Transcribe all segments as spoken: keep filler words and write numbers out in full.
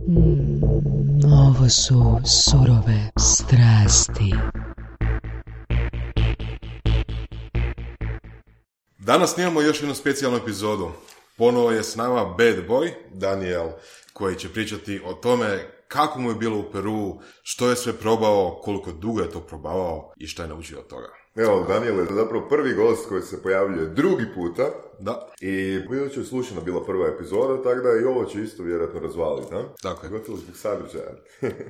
Mm, ovo su surove strasti. Danas snimamo još jednu specijalnu epizodu. Ponovo je s nama bad boy, Daniel, koji će pričati o tome kako mu je bilo u Peruu, što je sve probao, koliko dugo je to probavao i šta je naučio od toga. Evo, Daniel je zapravo prvi gost koji se pojavljuje drugi puta. Da. I već je slušana bila prva epizoda, tako da i ovo će isto vjerojatno razvaliti, da? Tako je. Gotovo zbog sadržaja.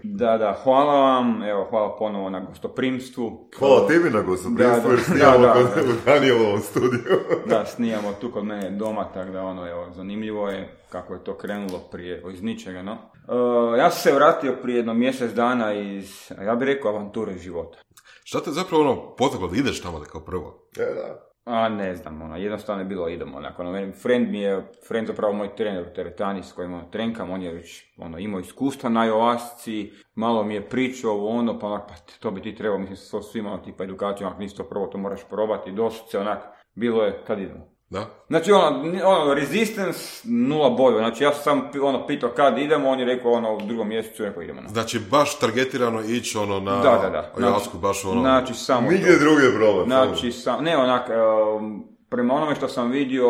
Da, da, hvala vam, evo, hvala ponovo na gostoprimstvu. Hvala tebi na gostoprimstvu, jer snijamo da, kod da. u Danielovom studiju. Da, snijamo tu kod mene doma, tako da ono, evo, zanimljivo je kako je to krenulo prije, iz ničega, no. Uh, ja sam se vratio prije jedno mjesec dana iz, ja bih rekao, avanture života. Šta te zapravo ono potaklo da ideš tamo da kao prvo? E, da. A ne znam, ono, jednostavno je bilo idemo, onako, ono, friend mi je, friend zapravo moj trener u teretani s kojim ono, trenkam, on je već ono, imao iskustva na Joasci, malo mi je pričao ono, pa onak, pa to bi ti trebao, mislim, sa svima, ono, tipa edukaciju, onak, nisi to prvo, to moraš probati, doslovce, onak, bilo je, kad idemo. Da? Znači, ono, ono, resistance, nula bodova, znači, ja sam ono, pitao kad idemo, on je rekao, ono, u drugom mjesecu, rekao, idemo na. Znači, baš targetirano ići, ono, na Da, da, da. Joasku, baš ono... Znači, samo Nigdje to. druge probati. Znači, sam, ne onak, um, prema onome što sam vidio,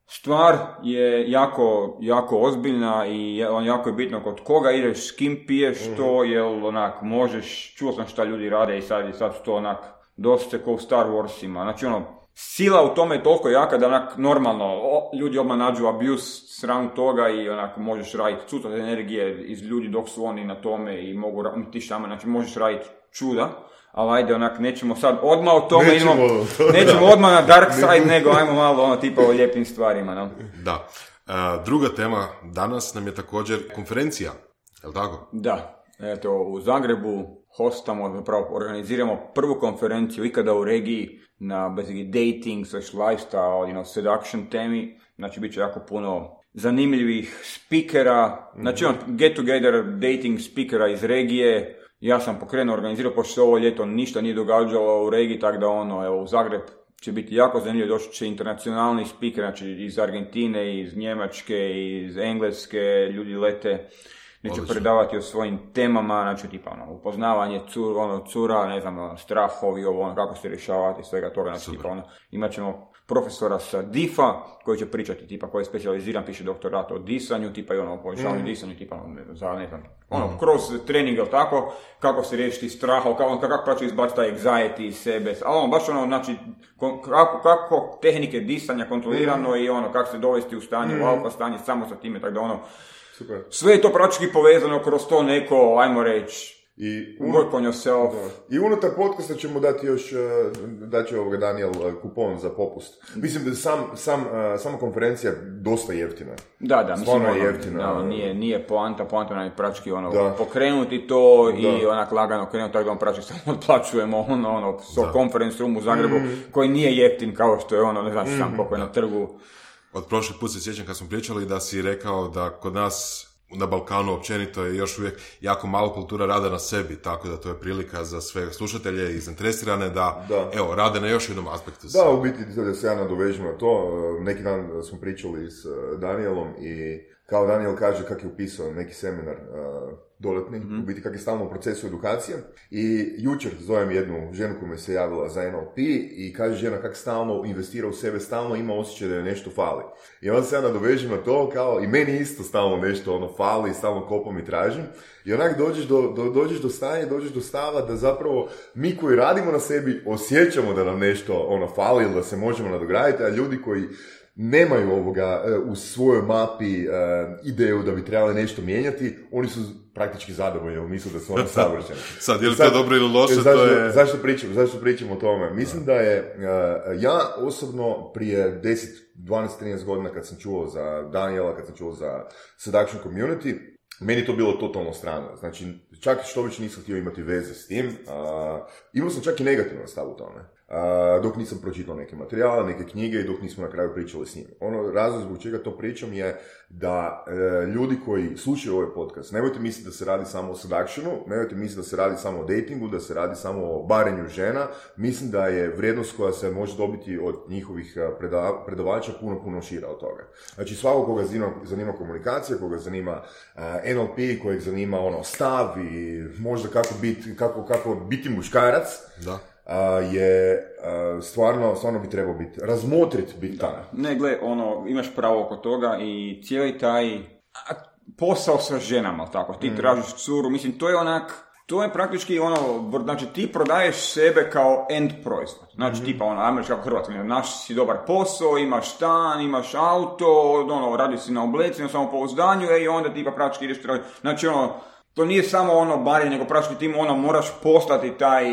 stvar je jako, jako ozbiljna i on jako je bitno kod koga ideš, s kim piješ to, jel onak, možeš, čuo sam šta ljudi rade i sad, i sad su to onak, dosta ko u Star Warsima, znači ono, sila u tome je toliko jaka da onak, normalno, o, ljudi odmah nađu abuse sram toga i onak, možeš raditi cutat energije iz ljudi dok su oni na tome i mogu, ti šama, znači možeš raditi čuda. Ali ajde, onak, nećemo sad odmah o tome, nećemo, idemo, nećemo odmah na dark side, nego ajmo malo ono tipa o lijepim stvarima, no? Da. Uh, druga tema danas nam je također konferencija, je li tako? Da, eto, u Zagrebu hostamo, zapravo organiziramo prvu konferenciju ikada u regiji na basically dating, slash lifestyle, you know, seduction temi, znači bit će jako puno zanimljivih speakera, znači on, get together dating speakera iz regije. Ja sam pokrenuo, organizirao, pošto se ovo ljeto ništa nije događalo u regiji, tako da ono, evo, u Zagreb će biti jako zanimljivo, doći će internacionalni speaker, znači iz Argentine, iz Njemačke, iz Engleske, ljudi lete, neće predavati o svojim temama, znači tipa ono, upoznavanje cur, ono, cura, ne znam, ono, strahovi, ovo, ono, kako se rješavati, svega toga, znači tipa ono, imat ćemo profesora sa D I F-a koji će pričati, tipa koji je specijaliziran, piše doktorat o disanju, tipa i ono, o povećavanju mm. disanju, tipa ono, ne znam, za, ne znam, ono, mm. kroz trening, ili tako, kako se riješiti straha, kako, kako praći izbaciti taj anxiety iz sebe, ali ono, baš ono, znači, kako, kako tehnike disanja kontrolirano mm. i ono, kako se dovesti u stanje, mm. u alfa stanje, samo sa time, tako da ono, super. Sve je to praktički povezano kroz to neko, ajmo reći, I work on yourself. Da. I unutar podcasta ćemo dati još, dat će ovoga Daniel kupon za popust. Mislim da sam, sam, sama konferencija dosta jeftina. Da, da, mislim, ono, jeftina. Da, nije, nije poanta, poanta nam je praktički ono, da. pokrenuti to da. i onak lagano krenuti, tako da on praktički samo otplaćujemo ono, ono, so conference room u Zagrebu, mm. koji nije jeftin kao što je ono, ne znaš sam mm. koliko je na trgu. Od prošli put se sjećam kad smo pričali da si rekao da kod nas na Balkanu općenito je još uvijek jako malo kultura rada na sebi, tako da to je prilika za sve slušatelje i zainteresirane da, da. evo, rade na još jednom aspektu. Da, u biti da se ja nadovežem na to, neki dan smo pričali s Danielom i kao Daniel kaže kako je upisao neki seminar uh, dodatni, mm-hmm. u biti kako je stalno u procesu edukacije i jučer zovem jednu ženu koja mi se javila za N L P i kaže žena kako stalno investira u sebe, stalno ima osjećaj da je nešto fali. I onda se ja nadovežem na to kao i meni isto stalno nešto ono fali, stalno kopam i tražim i onak dođeš do, do, dođeš do stanja, dođeš do stava da zapravo mi koji radimo na sebi osjećamo da nam nešto ono fali ili da se možemo nadograditi, a ljudi koji nemaju ovoga uh, u svojoj mapi uh, ideju da bi trebali nešto mijenjati, oni su praktički zadovoljni, jer misle da su oni savršeni. Sad, je li to dobro ili loše, zašto, to je... Zašto pričam, zašto pričam o tome? Mislim da, da je, uh, ja osobno prije deset, dvanaest, trinaest godina kad sam čuo za Daniela, kad sam čuo za Seduction Community, meni to bilo totalno strano. Znači, čak što već nisam htio imati veze s tim, uh, imao sam čak i negativan stav u tome. uh, dok nisam pročitao neke materijale, neke knjige i dok nismo na kraju pričali s njim. Ono, razlog zbog čega to pričam je da uh, ljudi koji slušaju ovaj podcast, nemojte misliti da se radi samo o seductionu, nemojte misliti da se radi samo o datingu, da se radi samo o barenju žena. Mislim da je vrijednost koja se može dobiti od njihovih predava, predavača puno, puno šira od toga. Znači, svako koga zanima, zanima komunikacija, koga zanima uh, N L P, kojeg zanima ono, stav i možda kako biti, kako, kako biti muškarac, da. Uh, je uh, stvarno, stvarno bi trebao biti, razmotrit biti tamo. Ne, gle, ono, imaš pravo oko toga i cijeli taj a, posao sa ženama, tako, ti mm. tražiš curu, mislim, to je onak, to je praktički ono, znači ti prodaješ sebe kao end proizvod, znači mm. tipa ono, ajmo reći kako Hrvatska, naš si dobar posao, imaš stan, imaš auto, ono, radiš si na obleci, na samopouzdanju, e, i onda tipa praktički ideš tražiti, znači ono, to nije samo ono barenje, nego praktički ti ono, moraš postati taj,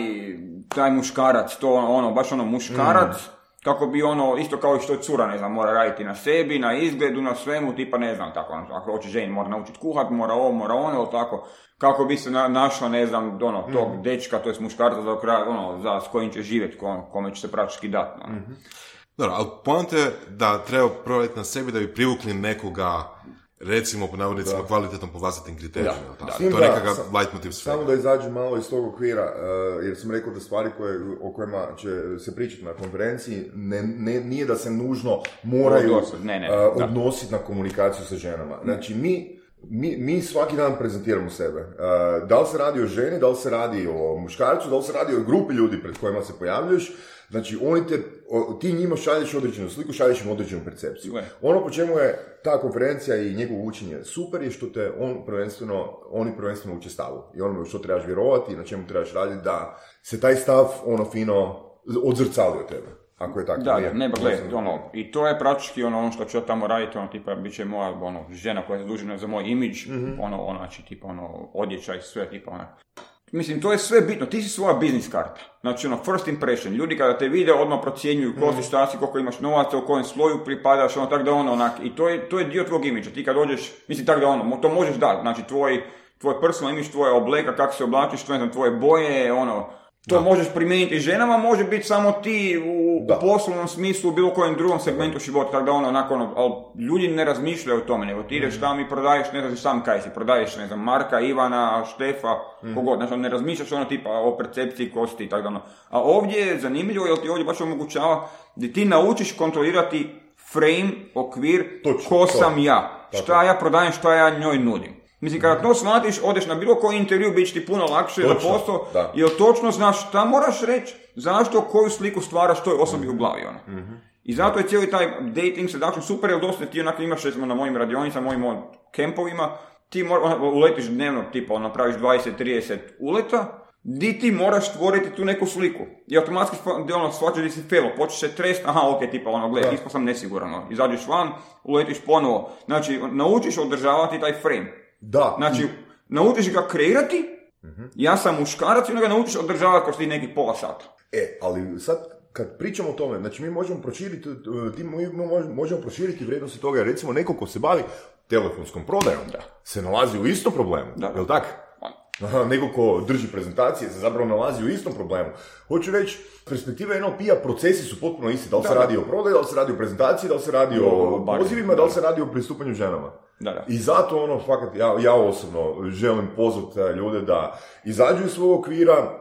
taj muškarac, to ono, baš ono muškarac, mm. kako bi ono, isto kao i što je cura, ne znam, mora raditi na sebi, na izgledu, na svemu, tipa ne znam, tako, ono, ako hoće ženi, mora naučiti kuhat, mora ovo, mora ono, tako, kako bi se na, našla, ne znam, ono, tog mm. dečka, to je muškarca za kraj, ono, za, s kojim će živjeti, kome će se praktički dati. Ono. Mm-hmm. Dobro, ali poanta je da treba provjeriti na sebi da bi privukli nekoga, recimo po navodnicima kvalitetnom po vlastitim kriterijima. Da, da. To je nekakav leitmotiv svega. Samo da izađu malo iz tog okvira, uh, jer sam rekao da stvari koje, o kojima će se pričati na konferenciji, ne, ne, nije da se nužno moraju ne, ne, uh, odnositi na komunikaciju sa ženama. Znači, mi Mi, mi svaki dan prezentiramo sebe. Uh, da li se radi o ženi, da li se radi o muškarcu, da li se radi o grupi ljudi pred kojima se pojavljuješ. Znači, oni te, o, ti njima šalješ određenu sliku, šalješ im određenu percepciju. Ono po čemu je ta konferencija i njegovo učenje super je što te on prvenstveno, oni prvenstveno uče stavu. I ono što trebaš vjerovati i na čemu trebaš raditi da se taj stav ono fino odzrcali od tebe. Ako je tako. Da, nije, ne, ba gled, ono, i to je praktički ono, ono što ću ja tamo raditi, ono, tipa, bit će moja, ono, žena koja je zadužena za moj imidž, mm-hmm. ono, ono, znači, tipa, ono, odjeća i sve, tipa, ono. Mislim, to je sve bitno, ti si svoja biznis karta. Znači, ono, first impression, ljudi kada te vide, odmah procjenjuju ko si, šta si, koliko imaš novaca, u kojem sloju pripadaš, ono, tako da ono, onak, i to je, to je dio tvog imidža, ti kad dođeš, mislim, tako da ono, to možeš dati, znači, tvoj, tvoj personal imidž, tvoje obleka, kako se oblačiš, tvoje, tvoje boje, ono, to da. Možeš primijeniti ženama, može biti samo ti u da. poslovnom smislu, u bilo kojem drugom segmentu života, tako da ono, nakon, ali ljudi ne razmišljaju o tome, nego ti ideš tamo i prodaješ, ne znaš sam kaj si, prodaješ, ne znam, Marka, Ivana, Štefa, mm. kogod, znači ne razmišljaš ono tipa o percepciji kosti i tako da ono. A ovdje je zanimljivo, jer ti ovdje baš omogućava da ti naučiš kontrolirati frame, okvir, Točno, ko sam to. ja, šta Tako. ja prodajem, šta ja njoj nudim. Mislim, kada to shvatiš, odeš na bilo koji intervju, bit će ti puno lakše na posao, jer točno znaš šta moraš reći, zašto, koju sliku stvaraš toj osobi mm-hmm. u glavi. Ono. Mm-hmm. I zato je cijeli taj dating seduction super, jer dosta ti onako imaš, recimo, na mojim radionicama, mojim on, kempovima, ti mora, on, uletiš dnevno, tipa, napraviš dvadeset trideset uleta, di ti moraš stvoriti tu neku sliku. I automatski ono, shvaćaš da si felo, počeš se trest, aha, ok, tipa, ono, gledaj, ispao sam nesiguran, izađeš van, uletiš ponovo. Znači, naučiš održavati taj frame. Da. Znači, naučiš ga kreirati, uh-huh. ja sam muškarac i onda ga naučiš održavati kao što ti neki pola sata. E, ali sad, kad pričamo o tome, znači mi možemo proširiti, mi možemo proširiti vrijednosti toga, recimo neko ko se bavi telefonskom prodajom, da. se nalazi u istom problemu, da. jel tako? Neko ko drži prezentacije se zapravo nalazi u istom problemu. Hoću reći, perspektiva N L P-a, procesi su potpuno isti. Da li se da, radi da. o prodaju, da li se radi o prezentaciji, da li se radi o, o pozivima, da li se radi o pristupanju ženama. Da, da. I zato ono, fakat, ja, ja osobno želim pozvati ljude da izađu iz svog okvira,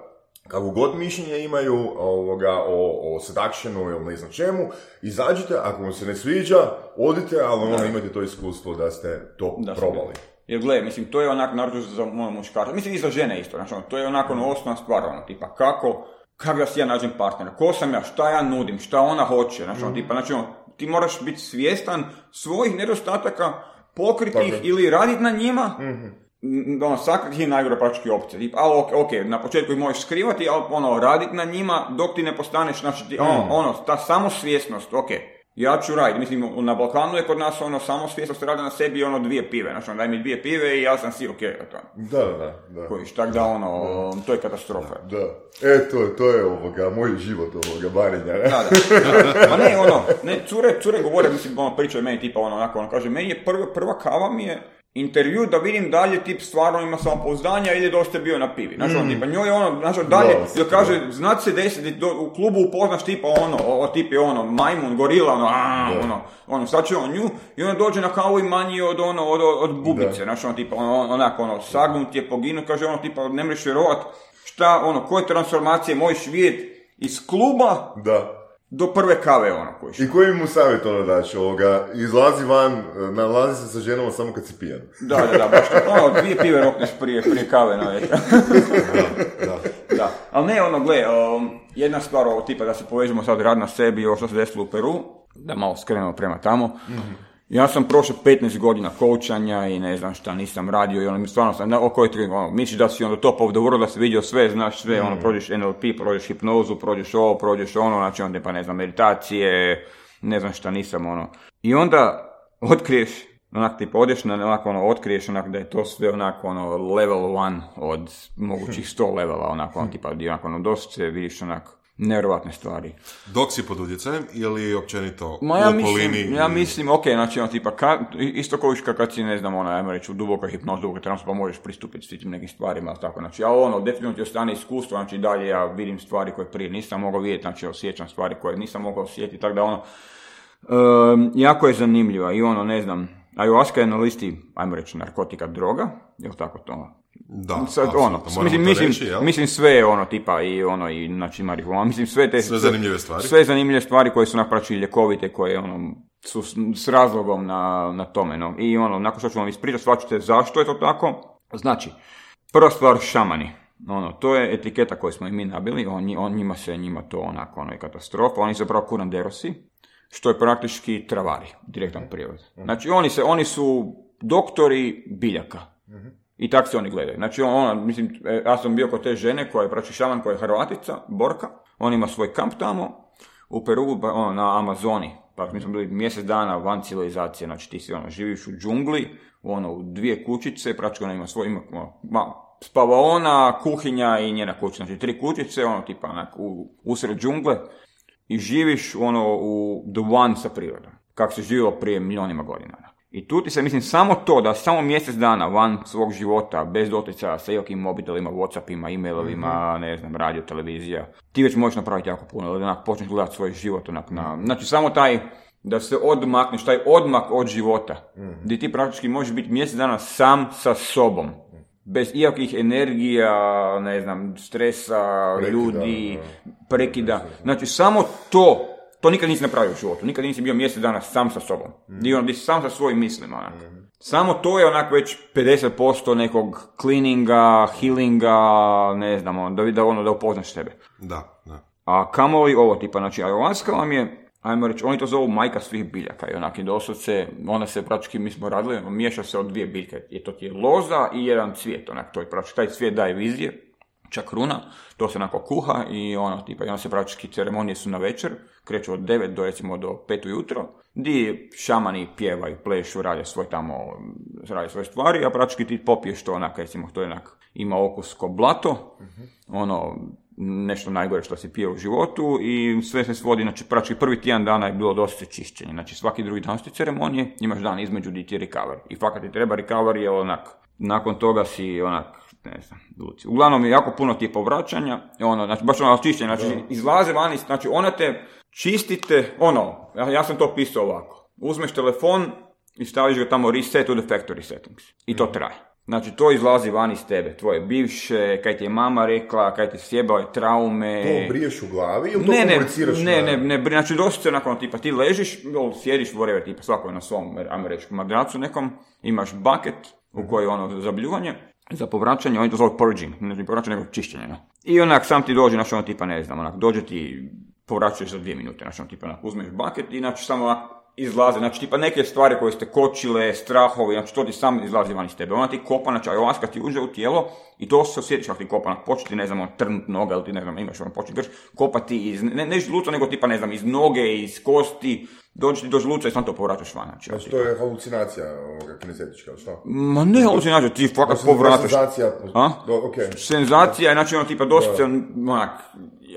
kako god mišljenje imaju ovoga, o, o seductionu ili ne znam čemu, izađite, ako vam se ne sviđa, odite, ali ono, imate to iskustvo da ste to da, probali. Jer gle, mislim, to je onak naročito za moje muškarce, mislim i za žene isto, znači, to je onako ono, osnovna stvar, ono, tipa, kako, kako da si ja nađem partnera, ko sam ja, šta ja nudim, šta ona hoće, znači, ono, tipa, znači, ono, ti moraš biti svjestan svojih nedostataka, pokriti ih ili raditi na njima, mm-hmm. ono, sakriti je najgore praktički opcija, tipa, ali ok, ok, na početku ih možeš skrivati, ali ono, raditi na njima dok ti ne postaneš, znači, ti, mm. ono, ono, ta samosvjesnost, ok. Ja ću raditi, mislim, na Balkanu je kod nas ono samosvjesnost radi na sebi ono dvije pive, znači ono daj mi dvije pive i ja sam si ok. To. Da, da, da. Kojiš, tak da ono, da. to je katastrofa. Da, e, to, to je ovoga, moj život ovoga barenja. Da, da. Ma ne, ono, ne, cure, cure govore, mislim, ono, pričaju meni tipa ono, onako, ono, kaže, meni je prva, prva kava mi je intervju da vidim dalje tip stvarno ima samopouzdanja ili dosta je bio na pivi. Znači, mm. ono, tipa, njoj je ono, znači, dalje, no, jer kaže, znat se desiti, u klubu upoznaš tipa ono, o, tip je ono, majmun, gorila, ono, a, yeah. ono, ono, sad će on nju, i ona dođe na kavu i manji od, ono, od, od bubice, znači, ono, tipa, ono, onako, ono, sagnut je, poginut, kaže, ono, tipa, ne mreš vjerovat, šta, ono, koje transformacije možeš vidjeti iz kluba, da. Do prve kave, ono, kojiš. I koji mu savjet ono daći, ovoga, izlazi van, nalazi se sa ženom samo kad si pijan. Da, da, da, baš to, ono, dvije pive rokneš prije, prije kave na večer. da, da. Da, ali ne, ono, gle, um, jedna stvar, ovo, tipa, da se povežemo sad rad na sebi, ovo što se desilo u Peru, da malo skrenemo prema tamo. Mm-hmm. Ja sam prošao petnaest godina koučanja i ne znam šta nisam radio i ono mi stvarno sam, oko je tri, ono, misliš da si onda top of the world, da si vidio sve, znaš sve, mm. ono, prođeš N L P, prođeš hipnozu, prođeš ovo, prođeš ono, znači onda pa ne znam, meditacije, ne znam šta nisam, ono. I onda otkriješ, onak tipa, odeš na, onako, ono, otkriješ onak da je to sve onako, ono, level one od mogućih sto levela, onako, ono, tipa, onako, ono, dosta vidiš onako, nevjerovatne stvari. Dok si pod utjecajem ili općenito Ma, u ja okolini? Mislim, ja mislim, ok, znači ono tipa, ka, isto kao viška kad si, ne znam, ono, ajmo reći, u dubokoj hipnozi, dubokoj transu, pa možeš pristupiti s tim nekim stvarima, ali tako, znači, ja ono, definitivno ti ostane iskustvo, znači, dalje ja vidim stvari koje prije nisam mogao vidjeti, znači, osjećam stvari koje nisam mogao osjetiti, tako da, ono, um, jako je zanimljiva i ono, ne znam, ayahuasca je na listi, ajmo reći, narkotika, droga, je li tako to? Da, sad, ono, mislim, mislim, reći, mislim sve je ono tipa i ono i znači marihuana, mislim sve te sve zanimljive stvari. Sve zanimljive stvari koje su napraći ljekovite, koje ono su s, s razlogom na, na tome, no. I ono, nakon što ću vam ispričati, shvaćate zašto je to tako. Znači, prva stvar, šamani. Ono, to je etiketa koju smo i mi nabili, on, on njima se, njima to onako, ono je katastrofa, oni su zapravo kuranderosi, što je praktički travari, direktan prijevod. Znači, oni se, oni su doktori biljaka. I tako se oni gledaju. Znači, ona, mislim, ja sam bio kod te žene koja je praći šaman, koja je Hrvatica, Borka. On ima svoj kamp tamo u Peru, ono, na Amazoni. Pa mi smo bili mjesec dana van civilizacije. Znači, ti si ono, živiš u džungli, ono, u dvije kućice, praći ona ima svoj, ima, ono, spavaona, kuhinja i njena kuća. Znači, tri kućice, ono, tipa, onak, u, usred džungle i živiš, ono, u the one sa prirodom. Kako se živjelo prije milionima godina. I tu ti se, mislim, samo to, da samo mjesec dana van svog života, bez doticaja sa ijakim mobitelima, Whatsappima, e-mailovima, mm-hmm. ne znam, radio, televizija, ti već možeš napraviti jako puno, da onak počneš gledati svoj život, onak, na, znači samo taj, da se odmakneš, taj odmak od života, mm-hmm. gdje ti praktički možeš biti mjesec dana sam sa sobom, bez ijakih energija, ne znam, stresa, prekida, ljudi, prekida, znači samo to. To nikad nisi napravio u životu, nikad nisi bio mjesec dana sam sa sobom. Mm. Di, on, di si sam sa svojim mislima, onak. Mm. Samo to je onak već pedeset posto nekog cleaninga, healinga, ne znam, da, da, ono, da upoznaš sebe. Da, da. A kamoli ovo tipa, znači, ayahuasca vam je, ajmo reći, oni to zovu majka svih biljaka i onak, i doslovce, ona se praktički, mi smo radili, miješa se od dvije biljke, je to ti je loza i jedan cvijet, onak, to je praktički, taj cvijet daje vizije, čakruna, to se onako kuha i ono, tipa, i onda se praktički ceremonije su na večer, kreću od devet do recimo do pet ujutro, di šamani pjevaju, plešu, rade svoj tamo, rade svoje stvari, a praktički ti popiješ to onak, recimo, to je onak, ima okus ko blato, uh-huh. ono, nešto najgore što si pio u životu i sve se svodi, znači praktički prvi tjedan dana je bilo dosta čišćenje, znači svaki drugi dan su ceremonije, imaš dan između di ti recover i fakat ti treba recover je onak, nakon toga si onak, ne znam, luci. Uglavnom je jako puno ti povraćanja, ono, znači baš ono čišćenje, znači izlaze vani, znači ona te čistite, ono, ja, ja sam to pisao ovako, uzmeš telefon i staviš ga tamo reset to the factory settings i to traje. Znači to izlazi van iz tebe, tvoje bivše, kaj ti je mama rekla, kaj ti sjebao je traume. To briješ u glavi ili to ne, komuniciraš? Ne, ne, ne, ne, znači dosta se nakon tipa ti ležiš, sjediš, whatever, tipa svako je na svom američkom madracu nekom, imaš bucket u kojoj je ono za bljuvanje, za povraćanje, oni to zove purging, ne povraćanje nego čišćenje. No. I onak sam ti dođe, znači ono tipa ne znam, onak dođe ti, povraćaš za dvije minute, znači ono tipa onak uzmeš bucket i znači samo onak izlaze, znači tipa neke stvari koje ste kočile, strahovi, znači to ti sam izlazi van iz tebe. Ona ti kopa, znači ayahuasca ti uđe u tijelo i to se osjetiš kako ti kopa, onak početi, ne znam, trnut noga ili ti ne znam, imaš ono početi grš, kopati iz, ne, ne iz žluca, nego tipa ne znam, iz noge, iz kosti, dođe ti do žluca i sam to povraćaš van. Znači, znači to je halucinacija ovoga kinestetička, što? Ma ne halucinacija, ti fakat povrataš. Senzacija, do, okay. Senzacija je, znači ono tipa dosta, onak,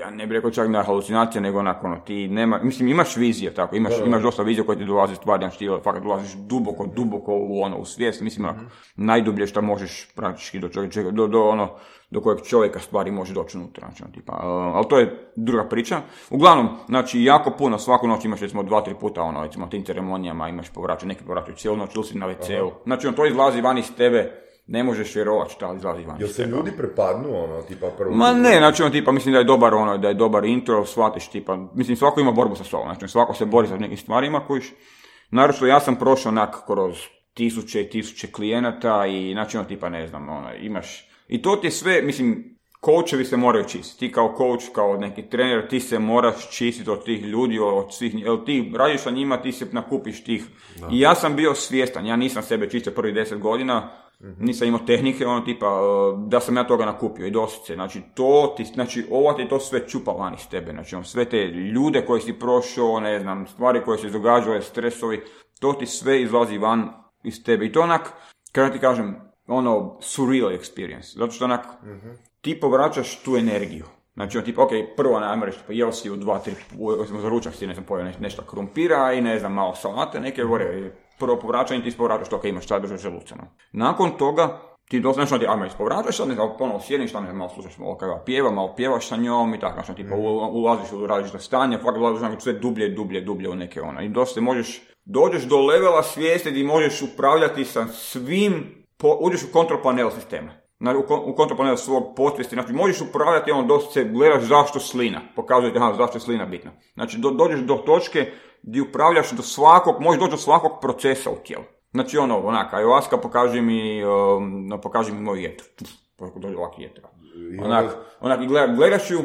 ja ne bih rekao čak na halucinacija, nego onako, ono, ti nema, mislim, imaš vizije, tako, imaš, da, imaš dosta vizije koje ti dolaze stvari, znači ti fakat dolaziš duboko, duboko u ono, u svijest, mislim, mm-hmm. najdublje što možeš praktički do, čovjeka, do, do, ono, do kojeg čovjeka stvari može doći unutra, znači, tipa, uh, ali to je druga priča. Uglavnom, znači, jako puno, svaku noć imaš, recimo, dva, tri puta, ono, recimo, tim ceremonijama imaš povraćaj, neki povraćaju cijelu noć, ili si na ve ceu, znači, on to izlazi van iz tebe, ne možeš vjerovati šta izlazi van. Jel se ljudi prepadnu, ono, tipa prvo? Ma ne, znači, on, tipa, mislim da je dobar, ono, da je dobar intro, shvatiš, tipa, mislim, svako ima borbu sa sobom, znači, svako se bori sa nekim stvarima kojiš, naravno, ja sam prošao onak kroz tisuće i tisuće klijenata i, znači, ono, tipa, ne znam, ono, imaš, i to ti je sve, mislim, coachevi se moraju čistiti, ti kao coach, kao neki trener, ti se moraš čistiti od tih ljudi, od svih, jer ti radiš sa njima, ti se nakupiš tih, da. I ja sam bio svjestan, ja nisam sebe čistio prvih deset godina, nisam imao tehnike, ono tipa, da sam ja toga nakupio i doslovce, znači to ti, znači ovo ti to sve čupa van iz tebe, znači on, sve te ljude koje si prošao, ne znam, stvari koje se događale, stresovi, to ti sve izlazi van iz tebe i to onak, kada ti kažem, ono, surreal experience, zato što onak, mm-hmm. ti povraćaš tu energiju. Znači, on tipa, ok, prvo, ajmo reći, pa jeo si u dva, tri, za ručak si, ne znam, pojeo nešto krumpira i ne znam, malo salate, neke gore, prvo povraćanje ti ispovraćaš to, ok, imaš šta držati želuca. Nakon toga, ti doslovno ti, ajmo, ispovraćaš, sad ne znam, ponovno sjediš, ne znam, malo slušaš, malo kada pjeva, malo pjevaš sa njom i tako, znači, tipa, ulaziš u različite stanje, fakt ulaziš znači, sve dublje, dublje, dublje u neke ona. I dosta možeš, dođeš do levela svijesti gdje možeš upravljati sa svim, po, uđeš u kontrol panel sistema. U kontrol panel svog podsvijesti, znači možeš upravljati, ono dosta gledaš zašto slina, pokazujete aha, zašto je slina bitna. Znači do, dođeš do točke gdje upravljaš do svakog, možeš doći do svakog procesa u tijelu. Znači ono, onak, ayahuasca pokaži mi, um, no, pokaži mi moj jeter. Dođe ovakvi jeter. Onak, onak, i gledaš, gledaš ju,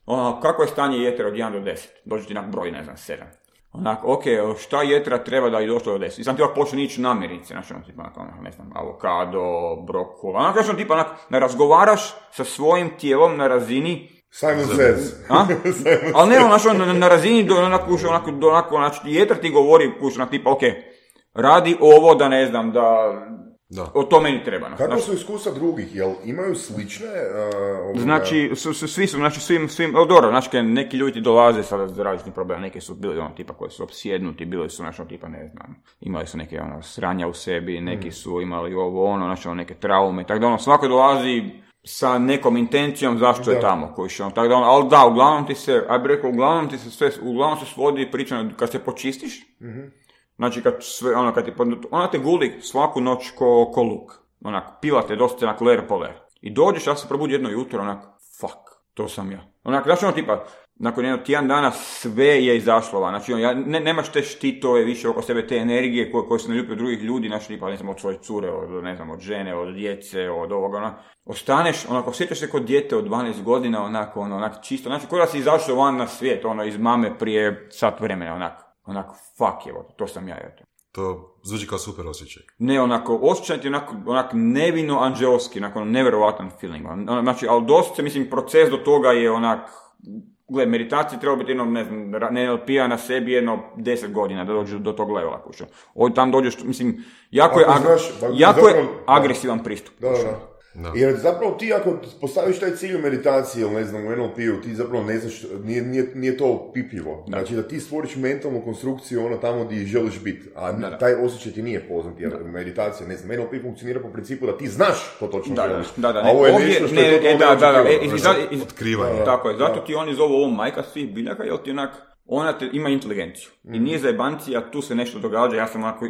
onak, kako je stanje jetera od jedan do deset. Dođe ti onak broj, ne znam, sedam. Onak, ok, šta jetra treba da je došlo do deset? I sam ti ovak počne ići namirnice, znači ono, tipa, onak, ne znam, avokado, brokul, onak, znači tipa, onak, ne razgovaraš sa svojim tijelom na razini Simon Says. Ali ne, znači, na, na razini do onako, onako, do onako, znači, jetra ti govori, kuš, onak, tipa, ok, radi ovo da ne znam, da... Da. O to meni treba. Kako znači, su iskustva drugih? Jel imaju slične? Uh, znači, su, su, svi su, znači, svim, svim, o, dobro, znači, neki ljudi dolaze sa različitih problema, neki su bili, ono, tipa, koji su opsjednuti, bili su, znači, tipa, ne znam, imali su neke, ono, sranja u sebi, neki mm. su imali ovo, ono, znači, neke traume, tako da, ono, svako dolazi sa nekom intencijom zašto da. Je tamo, koji što, ono, tako da, ono, ali da, uglavnom ti se, aj bi rekao, uglavnom ti se sve, uglavnom se svodi priča, kad se počistiš, mm-hmm. Znači, kad sve, ono, kad ti, ona te guli svaku noć ko, ko luk. Onak, pila te dosta onak ler po ler. I dođeš, ja se probudi jedno jutro, onak, fuck, to sam ja. Onak, znači ono tipa, nakon jednog tjedan dana sve je izašlo van. Znači, on, ja, ne, nemaš te štitove više oko sebe, te energije koje, koje se ne ljubi od drugih ljudi, znači, tipa, ne znam, od svoje cure, od, ne znam, od žene, od djece, od ovoga, onak. Ostaneš, onako, osjećaš se kod dijete od dvanaest godina, onako, ono, onak, čisto. Znači, ko da si izašao van na svijet, ono, iz mame prije sat vremena, onak. Onako, fuck je, to sam ja, eto. To zvuči kao super osjećaj. Ne, onako, osjećaj ti onako, onako nevino anđelski, onako, nevjerovatan feeling. On, znači, ali dosta, mislim, proces do toga je onak, gled, meditacija treba biti jedno, ne znam, ne en el pe-a na sebi jedno deset godina da dođeš do tog levela, pušao. Ovdje tam dođeš, mislim, jako, je, ag- znaš, jako zapravo, je agresivan pristup. Da, da, da. No. Jer zapravo ti ako postaviš taj cilj u meditaciji ili ne znam u en el pe-u, ti zapravo ne znaš, nije, nije, nije to pipljivo. Da. Znači da ti stvoriš mentalnu konstrukciju ono tamo gdje želiš biti, a da, da. Taj osjećaj ti nije poznat, jer da. Meditacija, ne znam, en el pe funkcionira po principu da ti znaš to točno da, želiš. Da, da, a ovo je ovdje, nešto što ne, je to da, da, da, da, otkrivanje. Tako je, zato ti oni zovu ovo majka svih biljaka, jer ti onak, ona te, ima inteligenciju. Mm. I nije zajebancija, tu se nešto događa, ja sam onako,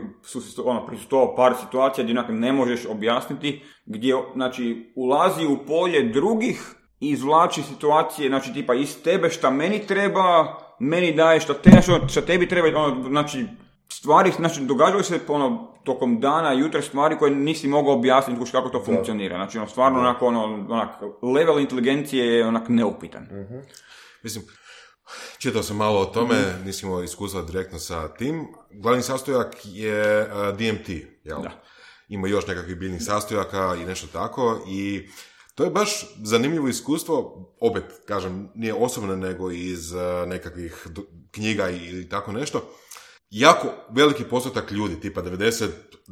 ono, prisustvovao par situacija gdje onako ne možeš objasniti, gdje, znači, ulazi u polje drugih i izvlači situacije, znači, tipa, iz tebe šta meni treba, meni daje šta, te, šta tebi treba, ono, znači, stvari, znači, događaju se, ono, tokom dana, jutra stvari koje nisi mogao objasniti kako to funkcionira. Znači, ono, stvarno, onako, ono, onak, level inteligencije je onak neupitan. Mm-hmm. Mislim, čitao sam malo o tome, mm-hmm. nisam imao iskustva direktno sa tim. Glavni sastojak je uh, de em te, jel? Da. Ima još nekakvih biljnih sastojaka i nešto tako i to je baš zanimljivo iskustvo, opet, kažem, nije osobno nego iz uh, nekakvih do, knjiga ili tako nešto. jako veliki postotak ljudi, tipa devedeset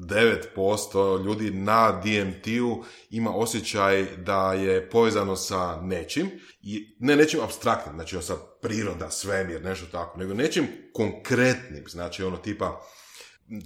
devet posto ljudi na D M T-u ima osjećaj da je povezano sa nečim, i ne nečim apstraktnim, znači sa priroda, svemir, nešto tako, nego nečim konkretnim, znači ono tipa,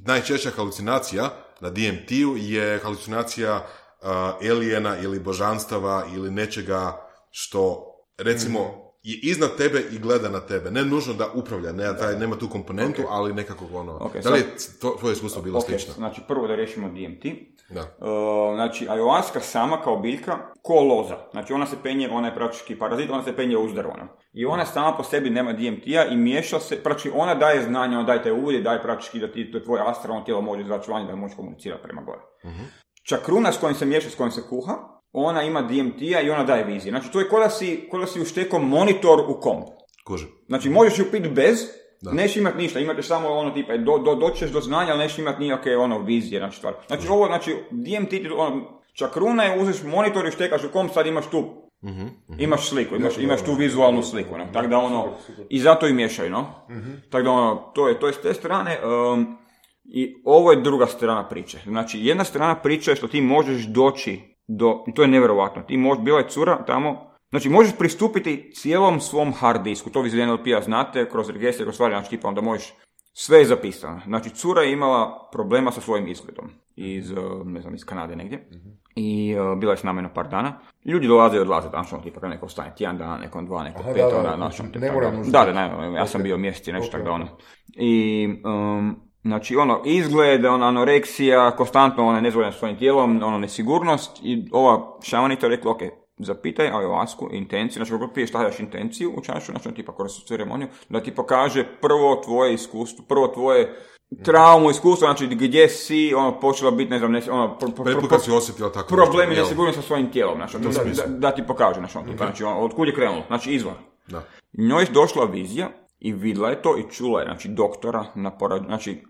najčešća halucinacija na D M T-u je halucinacija uh, alijena ili božanstava ili nečega što, recimo, mm-hmm. je iznad tebe i gleda na tebe. Ne nužno da upravlja, ne, taj, nema tu komponentu, okay. ali nekako ono... Okay, da li je to, tvoje iskustvo bilo okay, slično? Znači, prvo da riješimo D M T. Da. Uh, znači, ayahuasca sama kao biljka, ko loza. Znači, ona se penje, ona je praktički parazit, ona se penje uzdarvano. I ona sama po sebi nema D M T-a i miješa se, praktički ona daje znanje, ona daje te uvide, daje praktički da ti to tvoje astralno tijelo može izaći vanje, da može komunicirati prema gore. Uh-huh. Čakruna s kojim se miješa, s kojim se kuha, ona ima D M T-a i ona daje vizije. Znači, to je kao da si, ko da si uštekao monitor u komp. Kuže. Znači, možeš ju piti bez, da. Neš imat ništa, imate samo ono tipa, do, do, doćeš do znanja, ali neš imat nijake ono vizije, znači stvar. Znači, ovo, znači, D M T, ono, čakruna je, uzeš monitor i štekaš u komp, sad imaš tu, mm-hmm, mm-hmm. imaš sliku, imaš, imaš tu vizualnu sliku, no? Tako da ono, i zato i miješaju, no? Mm-hmm. Tako da ono, to je, to je s te strane, um, i ovo je druga strana priče. Znači, jedna strana priče je što ti možeš doći do, i to je nevjerovatno, ti možeš, bila je cura tamo, znači možeš pristupiti cijelom svom hard disku, to vi iz N L P-a znate, kroz registre, kroz stvari, znači tipa onda možeš, sve je zapisano. Znači cura je imala problema sa svojim izgledom, iz, ne znam, iz Kanade negdje, mm-hmm. i uh, bila je s nama na par dana. Ljudi dolaze i odlaze, znači ono tipa, neko ostane tjedan dana, nekom dva, neko pet, onda, znači ono tipa, ne moram da, da, ne, ja sam bio mjesec i nešto okay. tako da ono. I, um, znači ono, izgled, ona anoreksija, konstantno ona nezvolja svojim tijelom, ono nesigurnost, i ova šamanica je rekla, ok, zapitaj ayahuasku, intenciju, znači kako prije stavljaš intenciju u čašu, znači tipa kroz ceremoniju, da ti pokaže prvo tvoje iskustvo, prvo tvoje traumu, iskustvo, znači gdje si, ono, počela biti, ne znam, ne, ono, pro, pro, pro, pro, si osjetila tako problemi nesigurnosti sa svojim tijelom, znači, da, da, da ti pokaže, znači, ono, tipa, znači, ono, od kud je krenulo, znači, izvor. Da. Njoj je došla vizija i vidjela je to i čula je, znači, doktora na porod, znači,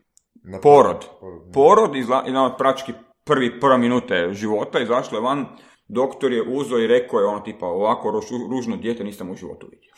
na porod, porod, porod izla, i na praktički prvi, prva minute života, izašla je van, doktor je uzeo i rekao je ono tipa, ovako ruž, ružno dijete nisam u životu vidio.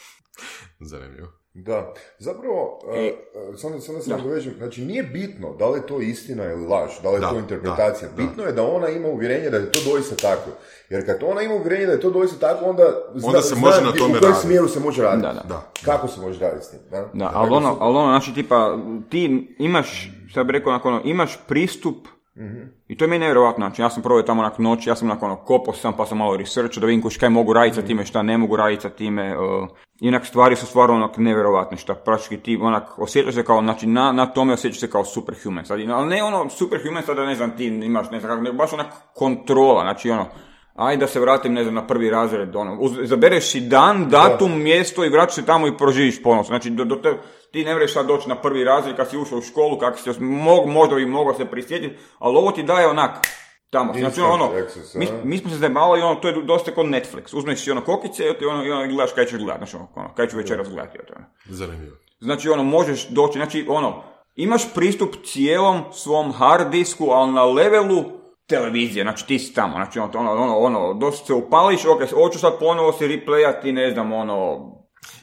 Zanimljivo. Da, zapravo, e, uh, samo, samo da se nadovežem, znači nije bitno da li je to istina ili laž, da li je da, to interpretacija, da, bitno da. je da ona ima uvjerenje da je to doista tako, jer kad ona ima uvjerenje da je to doista tako, onda zna, onda se može zna na tome u kojem smjeru se može raditi, da, da. kako se može raditi s tim. Da, da ali, ono, ali ono, znači tipa, ti imaš, sad bih rekao, onako, ono, imaš pristup. Mm-hmm. I to je meni nevjerojatno, znači ja sam probao tamo nakon noći, ja sam nakon ono, kopao sam pa sam malo researchao da vidim kaj mogu raditi sa time, šta ne mogu raditi sa time, uh, inak stvari su stvarno onak nevjerojatne, šta praktički ti onak osjećaš se kao, znači na, na tome osjećaš se kao superhuman, sad, ali ne ono superhuman sad da ne znam ti imaš, ne znam kako, ne, baš onak kontrola, znači ono, ajde da se vratim, ne znam, na prvi razred, ono, izabereš si dan, datum, da. mjesto i vratiš se tamo i proživiš ponos, znači do, do te, ti ne vreš sad doći na prvi razred kad si ušao u školu, kako si, mo, možda bi mogao se prisjetiti, ali ovo ti daje onak, tamo, znači ono, mi, mi smo se zajebali, ono, to je dosta kod Netflix, uzmeš si ono kokice i ono, ono gledaš kaj ćeš gledati, znači ono, kaj ću večeras gledati, ono. Zanimljivo. Znači ono, možeš doći, znači ono, imaš pristup cijelom svom hard disku, ali na levelu televizije, znači ti si tamo, znači ono, ono, ono, dosta se upališ, ok, hoću sad ponovo si replayati, ne znam, ono...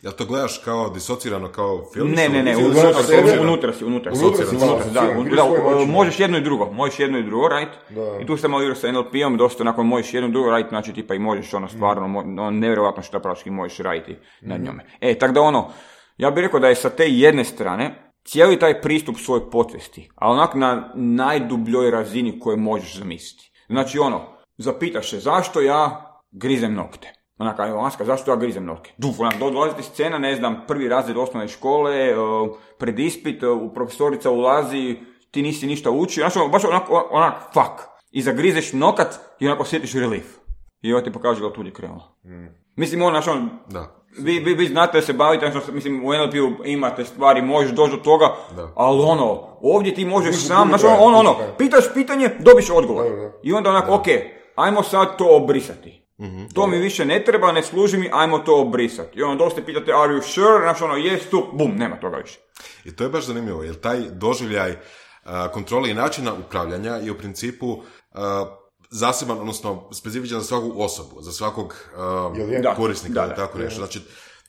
Jel to gledaš kao disocirano, kao film? Ne, ne, ne, unutra si, unutra si, unutra si, unutra si, da, možeš jedno i drugo, možeš jedno i drugo, right? I tu sam malo igrao sa N L P-om, dosta onako možeš jedno i drugo raditi, znači tipa i možeš ono stvarno, ono, nevjerovatno što praktički možeš raditi na njome. E, tako da ono, ja bih rekao da je sa te jedne strane, cijeli taj pristup svoje podsvijesti, a onak na najdubljoj razini koje možeš zamisliti. Znači ono, zapitaš se zašto ja grizem nokte. Onak, ayahuasca, zašto ja grizem nokte? Duf, onak, dolaziti scena, ne znam, prvi razred osnovne škole, uh, pred ispit, uh, profesorica ulazi, ti nisi ništa učio, znači baš onak, onak, fuck. I zagrizeš nokat i onako osjetiš relief. I ovo ti pokaže da od tuđe krenulo. Mm. Mislim, ono, znači, on, da. Vi, vi, vi znate da se bavite, znači, mislim, u N L P-u imate stvari, možeš doći do toga, da. Ali ono, ovdje ti možeš Uži, sam, znači, ono, ono, pitaš pitanje, dobiš odgovor. Da, da. I onda onako, ok, ajmo sad to obrisati. Mm-hmm, to mi više ne treba, ne služi mi, ajmo to obrisati. I ono, dosta pitate, are you sure? Znači ono, yes, tu, bum, nema toga više. I to je baš zanimljivo, jer taj doživljaj uh, kontrole i načina upravljanja je u principu uh, zaseban, odnosno specifičan za svaku osobu, za svakog uh, da, korisnika, da, da, tako da, nešto. Znači,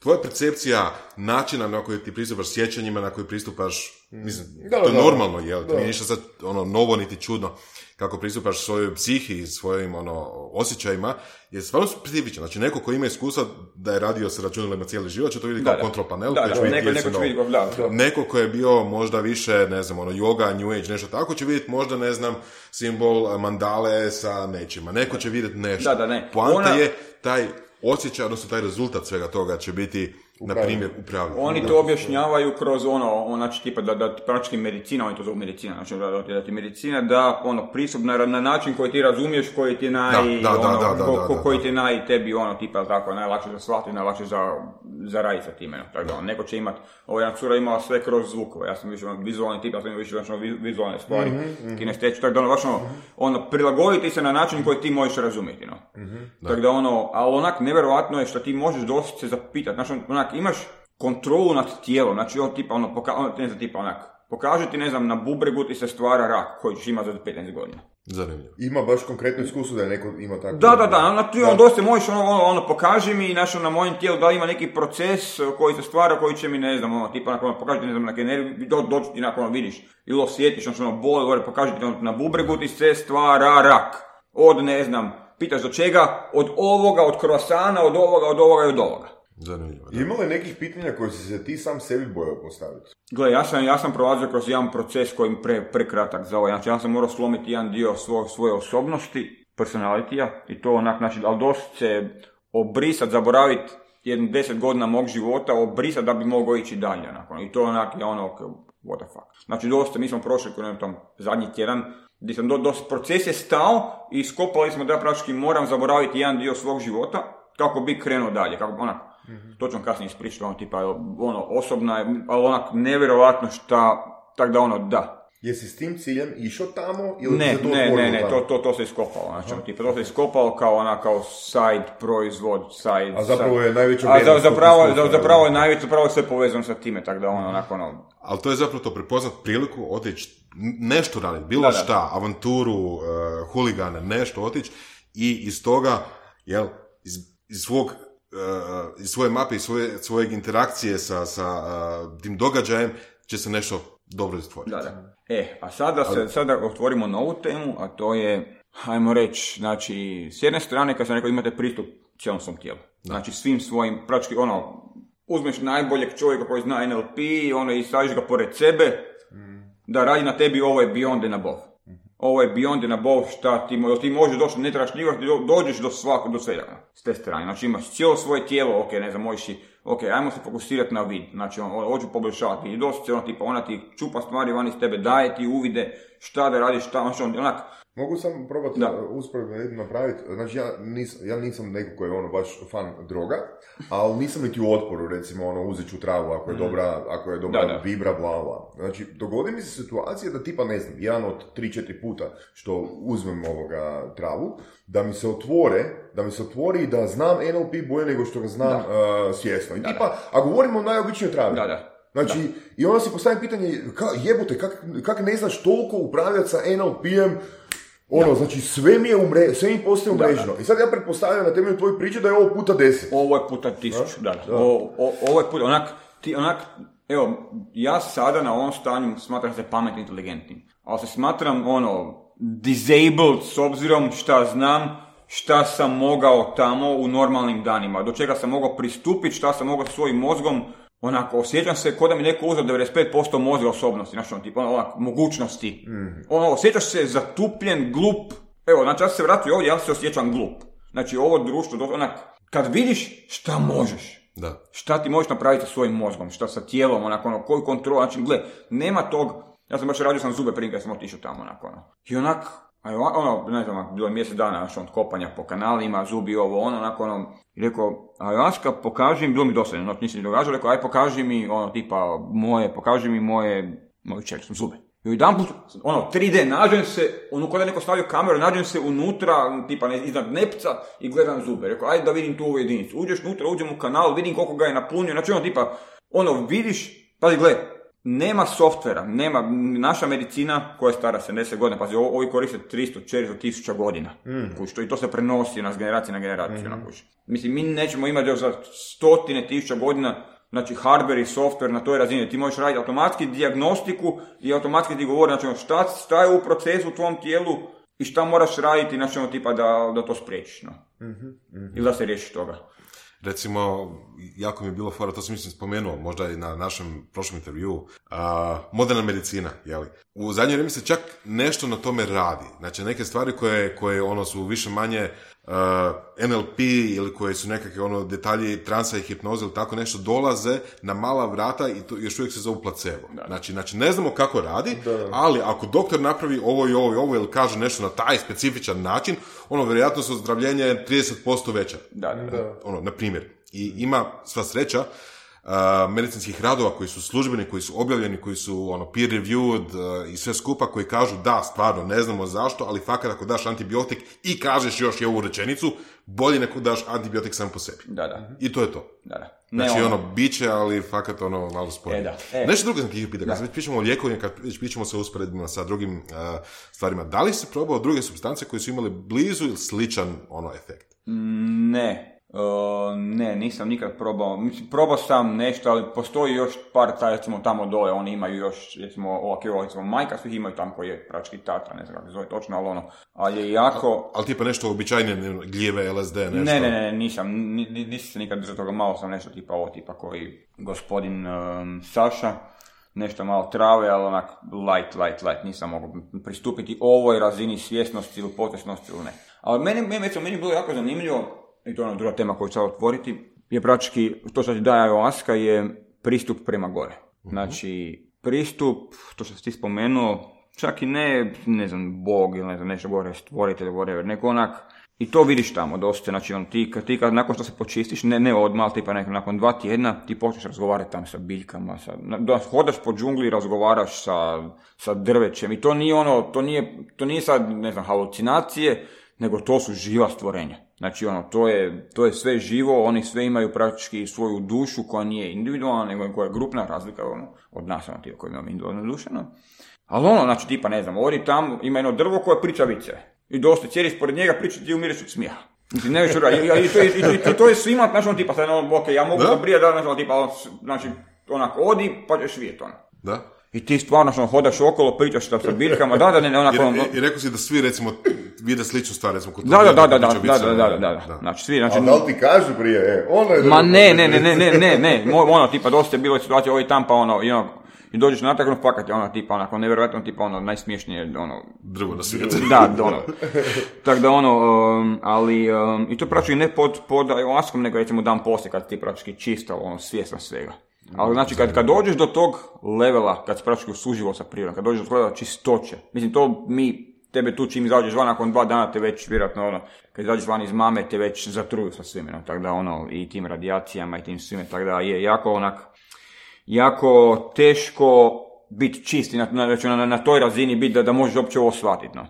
tvoja percepcija načina na koji ti pristupaš sjećanjima, na koji pristupaš, mislim, Da, to je da. normalno, jel? To Da. nije ništa sad ono, novo niti čudno kako pristupaš svojoj psihi i svojim ono, osjećajima, je stvarno specifično. Znači, neko ko ima iskustva da je radio sa računalima cijeli život, će to vidjeti Da, kao da. kontrol panel. Da, koji da, će vidjeti neko, jesu neko će novo. vidjeti, da, da. Neko ko je bio možda više, ne znam, ono, yoga, new age, nešto tako, će vidjeti možda, ne znam, simbol mandale sa nečima. Neko će vidjeti nešto. Da, da, ne. Poanta Ona- je taj osjećaj, odnosno taj rezultat svega toga će biti, na primjer, upravljanje. Oni to objašnjavaju kroz ono, ono, znači tipa da, da ti praktički medicina, oni to zovu medicina, znači da, da, ti- da ti medicina da ono pristup na, na način koji ti razumiješ, koji ti je naj, Da, da, da, ono, da, da, ko- da, ko- da. koji ti je naj tebi ono tipa tako najlakše za shvatiti, najlakše za, za raditi sa time. No. Tako da, ono, neko će imat, ovo jedna cura imala sve kroz zvukove, ja sam više ono, vizualni tip, ja sam više znači, ono, vi- vizualne stvari, mm-hmm, kinestetički, tako da ono, baš ono, ono, prilagoditi se na način koji ti možeš razumjeti, no. Tako da ono, ali onak nevjerojatno je što ti možeš dosta se zapitati, znači onak imaš kontrolu nad tijelom, znači on tipa ono, poka- ono ne znam, tipa onak, pokaže ti, ne znam, na bubregu ti se stvara rak koji ćeš imati za petnaest godina. Zanimljivo. Ima baš konkretno iskustvo da je neko ima tako... Da, da, da, ono, ti ono dosta možeš, ono, ono, ono, pokaži mi, znači, na mojem tijelu da li ima neki proces koji se stvara, koji će mi, ne znam, ono, tipa, ono, pokaži ti, ne znam, neke nervi, do, dođi ti, nakon, ono, vidiš, ili osjetiš, znači, ono, boli, gore, pokaži ti, ono, na bubregu ti se stvara rak. Od, ne znam, pitaš do čega, od ovoga, od krosana, od ovoga, od ovoga i od ovoga. Zanimljivo, da. Ima li nekih pitanja koje si se ti sam sebi bojao postaviti? Gle, ja sam, ja sam prolazio kroz jedan proces koji je pre, prekratak za ovo. Znači, ja sam morao slomiti jedan dio svo, svoje osobnosti, personalitija, i to onak, znači, ali dosta se obrisat, zaboraviti jedno deset godina mog života, obrisat da bi mogao ići dalje, onako. I to onak je ono, okay, what the fuck. Znači, dosta, mi smo prošli kroz tom zadnji tjedan, gdje sam do, dosta, proces je stao i skopali smo da ja praktički moram zaboraviti jedan dio svog života, kako bi krenuo dalje, kako onak, mm-hmm. to ću vam kasnije ispričati, ono, tipa, ono, osobna je, ali onak, nevjerovatno šta, tak da ono, da. Jesi s tim ciljem išao tamo ili Ne, se to ne, otvorilo ne, ne, tamo? to, to, to se iskopalo, znači, ono, tipa, to se iskopalo kao ona, kao side proizvod, side... A zapravo je najveća A za, vrijednost zapravo, tog za, iskustva, zapravo je najveće, zapravo je sve povezano sa time, tako da ono, onako, ono, Ali to je zapravo to prepoznat priliku, otići, nešto raditi, bilo Da, da. šta, avanturu, uh, huligane, nešto otići i iz toga, jel, iz, iz svog, uh, iz svoje mape, iz svoje, svojeg interakcije sa, sa uh, tim događajem će se nešto dobro stvoriti. da, da. E, a sada se, sada otvorimo novu temu, a to je, hajmo reći, znači, s jedne strane, kad sam rekao, imate pristup cijelom svom tijelu. Znači, svim svojim, praktički, ono, uzmeš najboljeg čovjeka koji zna N L P, ono, i staviš ga pored sebe, da radi na tebi, ovo je beyond and above. Ovo je beyond and above, šta ti, mo- ti možeš doći, ne trebaš nikak, do- dođeš do svakog, do svega, s te strane. Znači, imaš cijelo svoje tijelo, ok, ne znam, možeš i, ok, ajmo se fokusirati na vid, znači, on, hoću poboljšavati, i dosta ono, tipa, ona ti čupa stvari van iz tebe, daje ti uvide, šta da radiš, šta, znači, on, onak, Mogu sam probati Da. usporedno napraviti, znači ja, nis, ja nisam neko koji je ono baš fan droga, ali nisam niti u otporu, recimo ono uzet ću travu ako je dobra, ako je dobra Da, da. vibra, bla bla. Znači dogodi mi se situacija da tipa ne znam, jedan od tri četiri puta što uzmem ovoga travu, da mi se otvore, da mi se otvori da znam N L P bolje nego što ga znam uh, svjesno. I Da, tipa, a govorimo o najobičnijoj travi. da, da. Znači, i onda si postavim pitanje, ka, jebote, kak, kak ne znaš toliko upravljati sa N L P-em, ono, znači sve mi je umre, sve mi postaje Da, umreženo. I sad ja pretpostavljam na temelju tvoje priče da je ovo puta deset. Ovo je puta tisuću, da. da. O, o, ovo je puta, onak, ti, onak, evo, ja sada na ovom stanju smatram se pametnim, inteligentnim, ali se smatram, ono, disabled s obzirom šta znam, šta sam mogao tamo u normalnim danima, do čega sam mogao pristupiti, šta sam mogao svojim mozgom, onako, osjećam se kao da mi neko uzeo devedeset pet posto mozga osobnosti, znači, ono, tipa, ono, onak, mogućnosti. Mm. Ono, osjećaš se zatupljen, glup. Evo, znači, ja sam se vratio ovdje, ja se osjećam glup. Znači, ovo društvo, do- onak, kad vidiš šta možeš, Da. šta ti možeš napraviti sa svojim mozgom, šta sa tijelom, onako, ono, koju kontrolu, znači, gle, nema tog, ja sam baš radio sam zube prije kad sam otišao tamo, onako, ono. I onak, a ono, ne znam, bilo je mjesec dana, znači, od kopanja po kanalima, zubi ovo, ono, onako, ono, i rekao, Ayahuasca, pokaži mi, bilo mi dosadno, znači, nisam ni događao, rekao, aj, pokaži mi, ono, tipa, moje, pokaži mi moje, moju čeličnu zube. I jedan put, ono, tri D, nađem se, ono, kada je neko stavio kameru, nađem se unutra, tipa, ne, iznad nepca i gledam zube. Rekao, ajde da vidim tu ovu jedinicu. Uđeš unutra, uđem u kanal, vidim koliko ga je napunio, znači, ono, tipa, ono, vidiš, pazi, gle, nema softvera, nema, naša medicina koja je stara sedamdeset godina, pazi, ovi koriste tristo četiristo tisuća godina, mm. kući, to, i to se prenosi nas generacije na generaciju, mm. na kući. Mislim, mi nećemo imati još za stotine tisuća godina, znači hardware i software na toj razini, ti možeš raditi automatski dijagnostiku i automatski ti govori, znači šta, šta je u procesu u tvom tijelu i šta moraš raditi, znači ono tipa da, da to spriječiš, no. Mm-hmm, mm-hmm. Ili da se riješiš toga. Recimo, jako mi je bilo fora, to sam mislim spomenuo, možda i na našem prošlom intervju, uh, moderna medicina, jeli? U zadnje vrijeme se čak nešto na tome radi. Znači, neke stvari koje, koje ono su više manje uh, N L P ili koje su nekakve ono detalji transa i hipnoze ili tako nešto dolaze na mala vrata i to još uvijek se zovu placebo. Znači, znači ne znamo kako radi, da. Ali ako doktor napravi ovo i ovo i ovo ili kaže nešto na taj specifičan način, ono vjerojatno su ozdravljenje trideset posto veća. Da, da, da. Ono, na primjer. I ima sva sreća Uh, medicinskih radova koji su službeni, koji su objavljeni, koji su ono, peer reviewed uh, i sve skupa, koji kažu da, stvarno, ne znamo zašto, ali fakat ako daš antibiotik i kažeš još i ovu rečenicu, bolje neko daš antibiotik sam po sebi. Da, da. I to je to. Da, da. Ne znači ono, ono biće, ali fakat ono malo sporije. E, da. E. Nešto drugo sam ti pitao, kad već pričamo o lijekovima, kad već pričamo sa usporedbima sa drugim uh, stvarima, da li si probao druge supstance koje su imale blizu ili sličan ono efekt? Ne. Uh, ne, nisam nikad probao. Mislim, probao sam nešto, ali postoji još par, taj, recimo tamo dole, oni imaju još, recimo, ovak je ovo, recimo, majka svih imaju tamo koji je prački tatra, ne znam kako se zove točno, ali ono, ali je jako... Ali tipa nešto običajnije, gljeve, L S D, nešto? Ne, ne, ne, nisam, n- n- nisam se nikad držao toga, malo sam nešto tipa ovo, tipa koji gospodin um, Saša, nešto malo trave, ali onak light, light, light, nisam mogao pristupiti ovoj razini svjesnosti ili potresnosti ili ne. Ali meni, meni, meni, meni je bilo jako zanimljivo, i to je ona druga tema koju ću sad otvoriti, je praktički, to što ti daje ayahuasca je pristup prema gore. Znači, pristup, to što si ti spomenuo, čak i ne, ne znam, Bog ili ne znam, nešto gore, stvoritelj, whatever, nego onak, i to vidiš tamo dosta, znači on, ti, ti kad nakon što se počistiš, ne, ne odmah, tipa nekako nakon dva tjedna, ti počneš razgovarati tamo sa biljkama, sa, da hodaš po džungli i razgovaraš sa, sa drvećem i to nije ono, to nije, to nije sad, ne znam, halucinacije, nego to su živa stvorenja. Znači, ono, to je, to je sve živo, oni sve imaju praktički svoju dušu koja nije individualna, nego koja je grupna razlika ono, od nas, ono, ti koji imamo individualnu dušu. No. Ali ono, znači, tipa, ne znam, odi tamo, ima jedno drvo koje priča vice. I dosta, cijeliš pored njega, priča ti umireš od smijeha. Mislim, ne više ura, i, i, i, to, i, i, i to je svima, znači, ono, tipa, sad, ono, ok, ja mogu zabrijati, da, znači, tipa, znači, onak, odi, pa ćeš vidjeti, ono. Da. I ti stvarno što hodaš okolo, pričaš šta sa biljkama, da, da, ne, ne, onako... I, i, I rekao si da svi, recimo, vide sličnu stvar, recimo, kod da, da, da, da, da, da, da, da, da, da, znači, svi, znači... A da li ti kažu prije, e, ono je... Ma ne, ne, ne, ne, ne, ne, ne, ono, tipa, dosta je bilo situacija, ovo i tam, pa ono, i ono, i dođeš natrag, ono, fakat je ono, tipa, onako, nevjerojatno, tipa, ono, najsmiješnije, ono... Drvo na svijetu. Da, ono. Tako da, ono, um, ali, um, i to praktički ne pod, pod ayahuascom, nego, recimo, dan poslije, kad ti praktički čista, ono, svjesna svega. Ali znači kad, kad dođeš do tog levela, kad si praktički suživo sa prirodom, kad dođeš do tog levela čistoće, mislim to mi, tebe tu čim izađeš van, nakon dva dana te već vjerojatno ono, kad izađeš van iz mame te već zatruju sa svime, no, tako da ono, i tim radijacijama i tim svime, tako da je jako onak, jako teško biti čist, na, na, na, na toj razini biti da, da možeš uopće ovo shvatiti, no.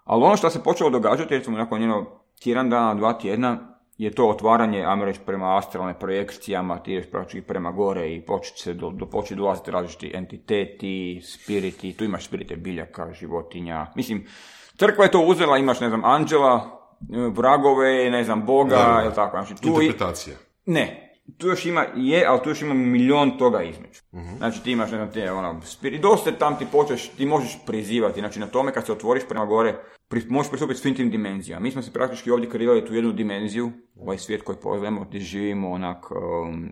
Ali ono što se počelo događati, recimo nakon jedno tjedan dana, dva tjedna, je to otvaranje, ajmo reći, prema astralne projekcijama, ti ideš praktički prema gore i početi se do, do početi dolaziti različiti entiteti, spiriti, tu imaš spirite biljaka, životinja, mislim, crkva je to uzela, imaš, ne znam, anđela, vragove, ne znam, Boga, ili tako, znači, tu interpretacija. I, ne, tu još ima, je, ali tu još ima milion toga između. Uh-huh. Znači ti imaš, ne znam, te, ono, spirit, dosta tam ti počeš, ti možeš prizivati, znači na tome kad se otvoriš prema gore, pri, možeš pristupiti svim tim dimenzijama. Mi smo se praktički ovdje kreirali tu jednu dimenziju, ovaj svijet koji poznajemo, gdje živimo onak, um,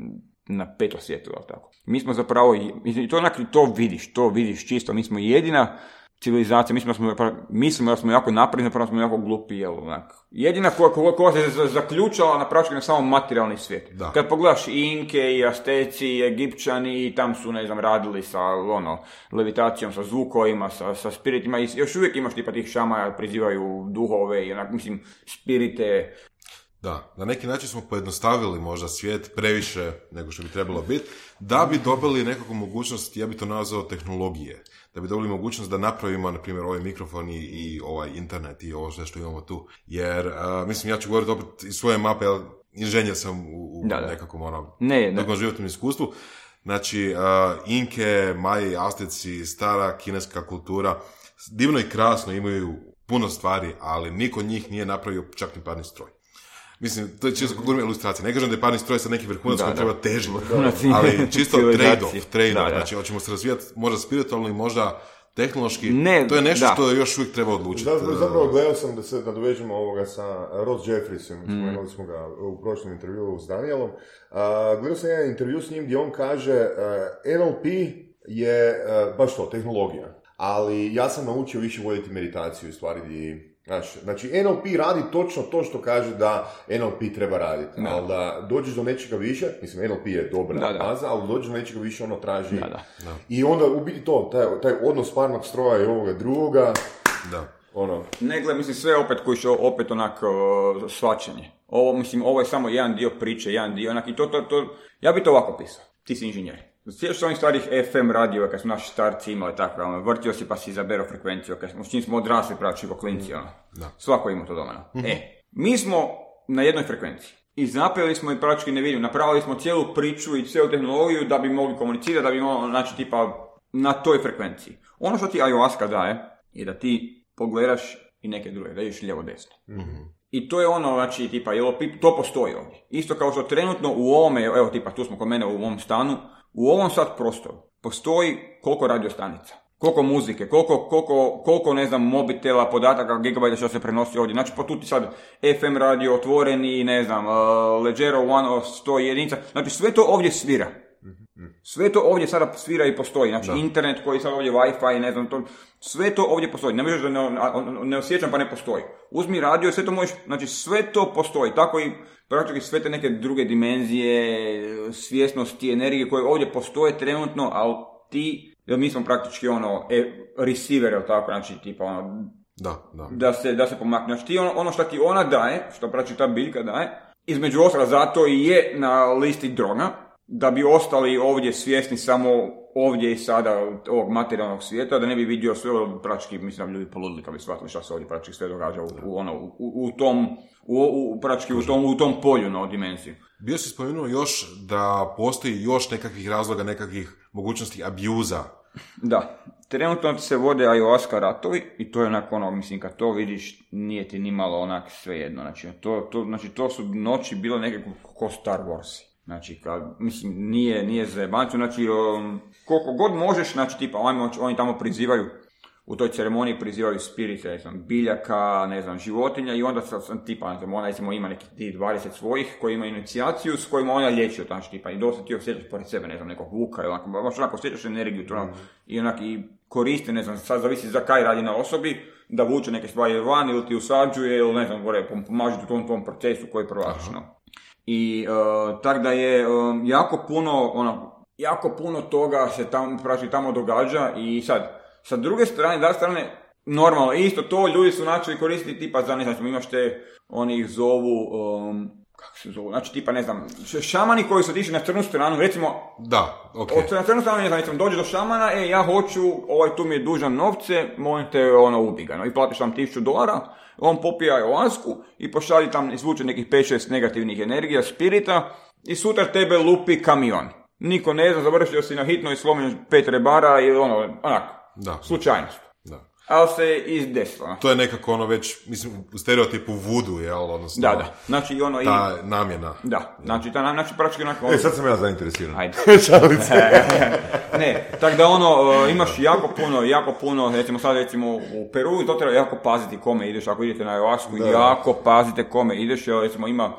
na peto svijetu, ali tako. Mi smo zapravo, i to onak, to vidiš, to vidiš čisto, mi smo jedina civilizacija, mislimo da smo, mislimo da smo jako napredni, zapravo smo jako glupi, jel, onak. Jedina koja, koja, koja se zaključala na praktički na samom materijalni svijet. Da. Kad pogledaš Inke i Asteci i Egipćani, i tam su, ne znam, radili sa, ono, levitacijom, sa zvukovima, sa, sa spiritima, i još uvijek imaš tipa tih šamaja, prizivaju duhove i onak, mislim, spirite. Da, na neki način smo pojednostavili možda svijet previše nego što bi trebalo biti, da bi dobili nekakvu mogućnost, ja bi to nazvao tehnologije, da bi dobili mogućnost da napravimo, na primjer, ovaj mikrofon i, i ovaj internet i ovo sve što imamo tu. Jer, uh, mislim, ja ću govoriti opet iz svoje mape, jer inženjer sam u, u da, da. nekakvom ono, ne, nekom životnom iskustvu. Znači, uh, Inke, Maji, Azteci, stara kineska kultura, divno i krasno, imaju puno stvari, ali niko od njih nije napravio čak ni parni stroj. Mislim, to je čisto govorim ilustracija. Ne kažem da je parni stroj sa neki vrhunac koji treba težiti, ali čisto trade-off, trade-off. Znači, hoćemo se razvijati možda spiritualno i možda tehnološki. Ne, to je nešto da. Što još uvijek treba odlučiti. Zapravo, zapravo gledao sam da se nadovežemo ovoga sa Ross Jeffreysom, mm. spomenuli smo ga u prošlom intervjuu s Danielom. Uh, gledao sam jedan intervju s njim gdje on kaže uh, N L P je uh, baš to, tehnologija. Ali ja sam naučio više voditi meditaciju u stvari gdje... Znači, znači, N L P radi točno to što kaže da N L P treba raditi, da. Ali da dođeš do nečega više, mislim, N L P je dobra da, da. baza, ali dođeš do nečega više, ono traži. Da, da. Da. I onda u biti to, taj, taj odnos parnog stroja i ovoga drugoga, da. Ono. Ne, gled, mislim, sve opet koji će opet onak uh, svačanje. Ovo, mislim, ovo je samo jedan dio priče, jedan dio onak, i to, to, to, ja bi to ovako pisao, ti si inženjer. Sjećaš se onih starih F M radio, kad smo naši starci imali takve, ono, vrtio si pa si izaberao frekvenciju, kad smo, s čim smo odrasli praći ko klinci, ono. Da. Svako ima to doma. Mm-hmm. E, mi smo na jednoj frekvenciji. I napravili smo i praktički ne vidim, napravili smo cijelu priču i cijelu tehnologiju da bi mogli komunicirati, da bi mogli, znači, tipa, na toj frekvenciji. Ono što ti ayahuasca daje, je da ti pogledaš i neke druge, da ideš lijevo-desno. Mm-hmm. I to je ono, znači, tipa, to postoji ovdje. Isto kao što trenutno u ovome, evo, tipa, tu smo kod mene u ovom stanu, u ovom sad prostoru postoji koliko radiostanica, koliko muzike, koliko, koliko, koliko ne znam, mobitela, podataka, gigabajta što se prenosi ovdje. Znači, pa tu ti sad F M radio, otvoreni, ne znam, uh, Leggero One, sto jedinica. Znači, sve to ovdje svira. Sve to ovdje sada svira i postoji. Znači, da. Internet koji sad ovdje, Wi-Fi, ne znam, to, sve to ovdje postoji. Ne možeš da ne, ne osjećam pa ne postoji. Uzmi radio i sve to možeš, znači, sve to postoji. Tako i praktički sve te neke druge dimenzije, svjesnosti, energije koje ovdje postoje trenutno, ali ti, jer mi smo praktički ono, e, receiver, ili tako, znači, tipa ono, da, da. da se, da se pomakne. Znači, ti ono, ono što ti ona daje, što praktički ta biljka daje, između ostalo zato i je na listi droga, da bi ostali ovdje svjesni samo ovdje i sada ovog materijalnog svijeta, da ne bi vidio sve praktički, mislim da ljudi poludili kad bi shvatili šta se ovdje praktički sve događa u, u, ono, u, u tom, u, u, praktički u tom, u tom polju na dimenziju. Bio si spomenuo još da postoji još nekakvih razloga, nekakvih mogućnosti abuza. Da, trenutno se vode ayahuasca ratovi i to je onako ono, mislim, kad to vidiš, nije ti ni malo onak svejedno. Znači to, to, znači, to su noći bilo nekako ko Star Warsi. Znači, kad, mislim, nije, nije za jebancu, znači, um, koliko god možeš, znači, tipa, oni, oni tamo prizivaju, u toj ceremoniji prizivaju spirite, ne znam, biljaka, ne znam, životinja, i onda sam, tipa, ne znam, ona, recimo, ima nekih dvadeset svojih koji imaju inicijaciju, s kojima ona liječi, znači, tipa, i dosta ti osjećaš pored sebe, ne znam, nekog vuka, ili onako, baš onako osjećaš energiju, to, mm. i onak, i koriste, ne znam, sad zavisi za kaj radi na osobi, da vuče neke stvari van, ili ti usađuje, ili, ne znam, gore, pomaže u tom, tom procesu koji prolaziš, no. I uh, tako da je uh, jako puno, ono, jako puno toga se tamo, praći, tamo događa i sad, sa druge strane, da strane, normalno, isto to ljudi su načeli koristiti tipa za, ne znam, imaš te, oni ih zovu, um, kako se zovu, znači tipa, ne znam, šamani koji su otišli na crnu stranu, recimo, da, okej. Okay. Na crnu stranu, ne znam, recimo, dođe do šamana, e, ja hoću, ovaj tu mi je dužan novce, molim te, ono, ubi ga, no, i platiš tam tisuću dolara, on popije ayahuasku i pošalji tam, izvuče nekih pet šest negativnih energija, spirita, i sutra tebe lupi kamion. Niko ne zna, završio si na hitno i slomio pet rebara i ono, onak, da. Slučajnost. Da. Ali se izdesilo. To je nekako ono već, mislim, u stereotipu vudu, jel, odnosno, da, da. Znači, ono ta i... namjena. Da, znači, ta namjena, znači, praktički onako... E, sad sam ja zainteresiran. Ajde. Ne, tako da ono, imaš jako puno, jako puno, recimo sad, recimo, u Peru, to treba jako paziti kome ideš, ako idete na ayahuasku, jako pazite kome ideš, jer, recimo, ima,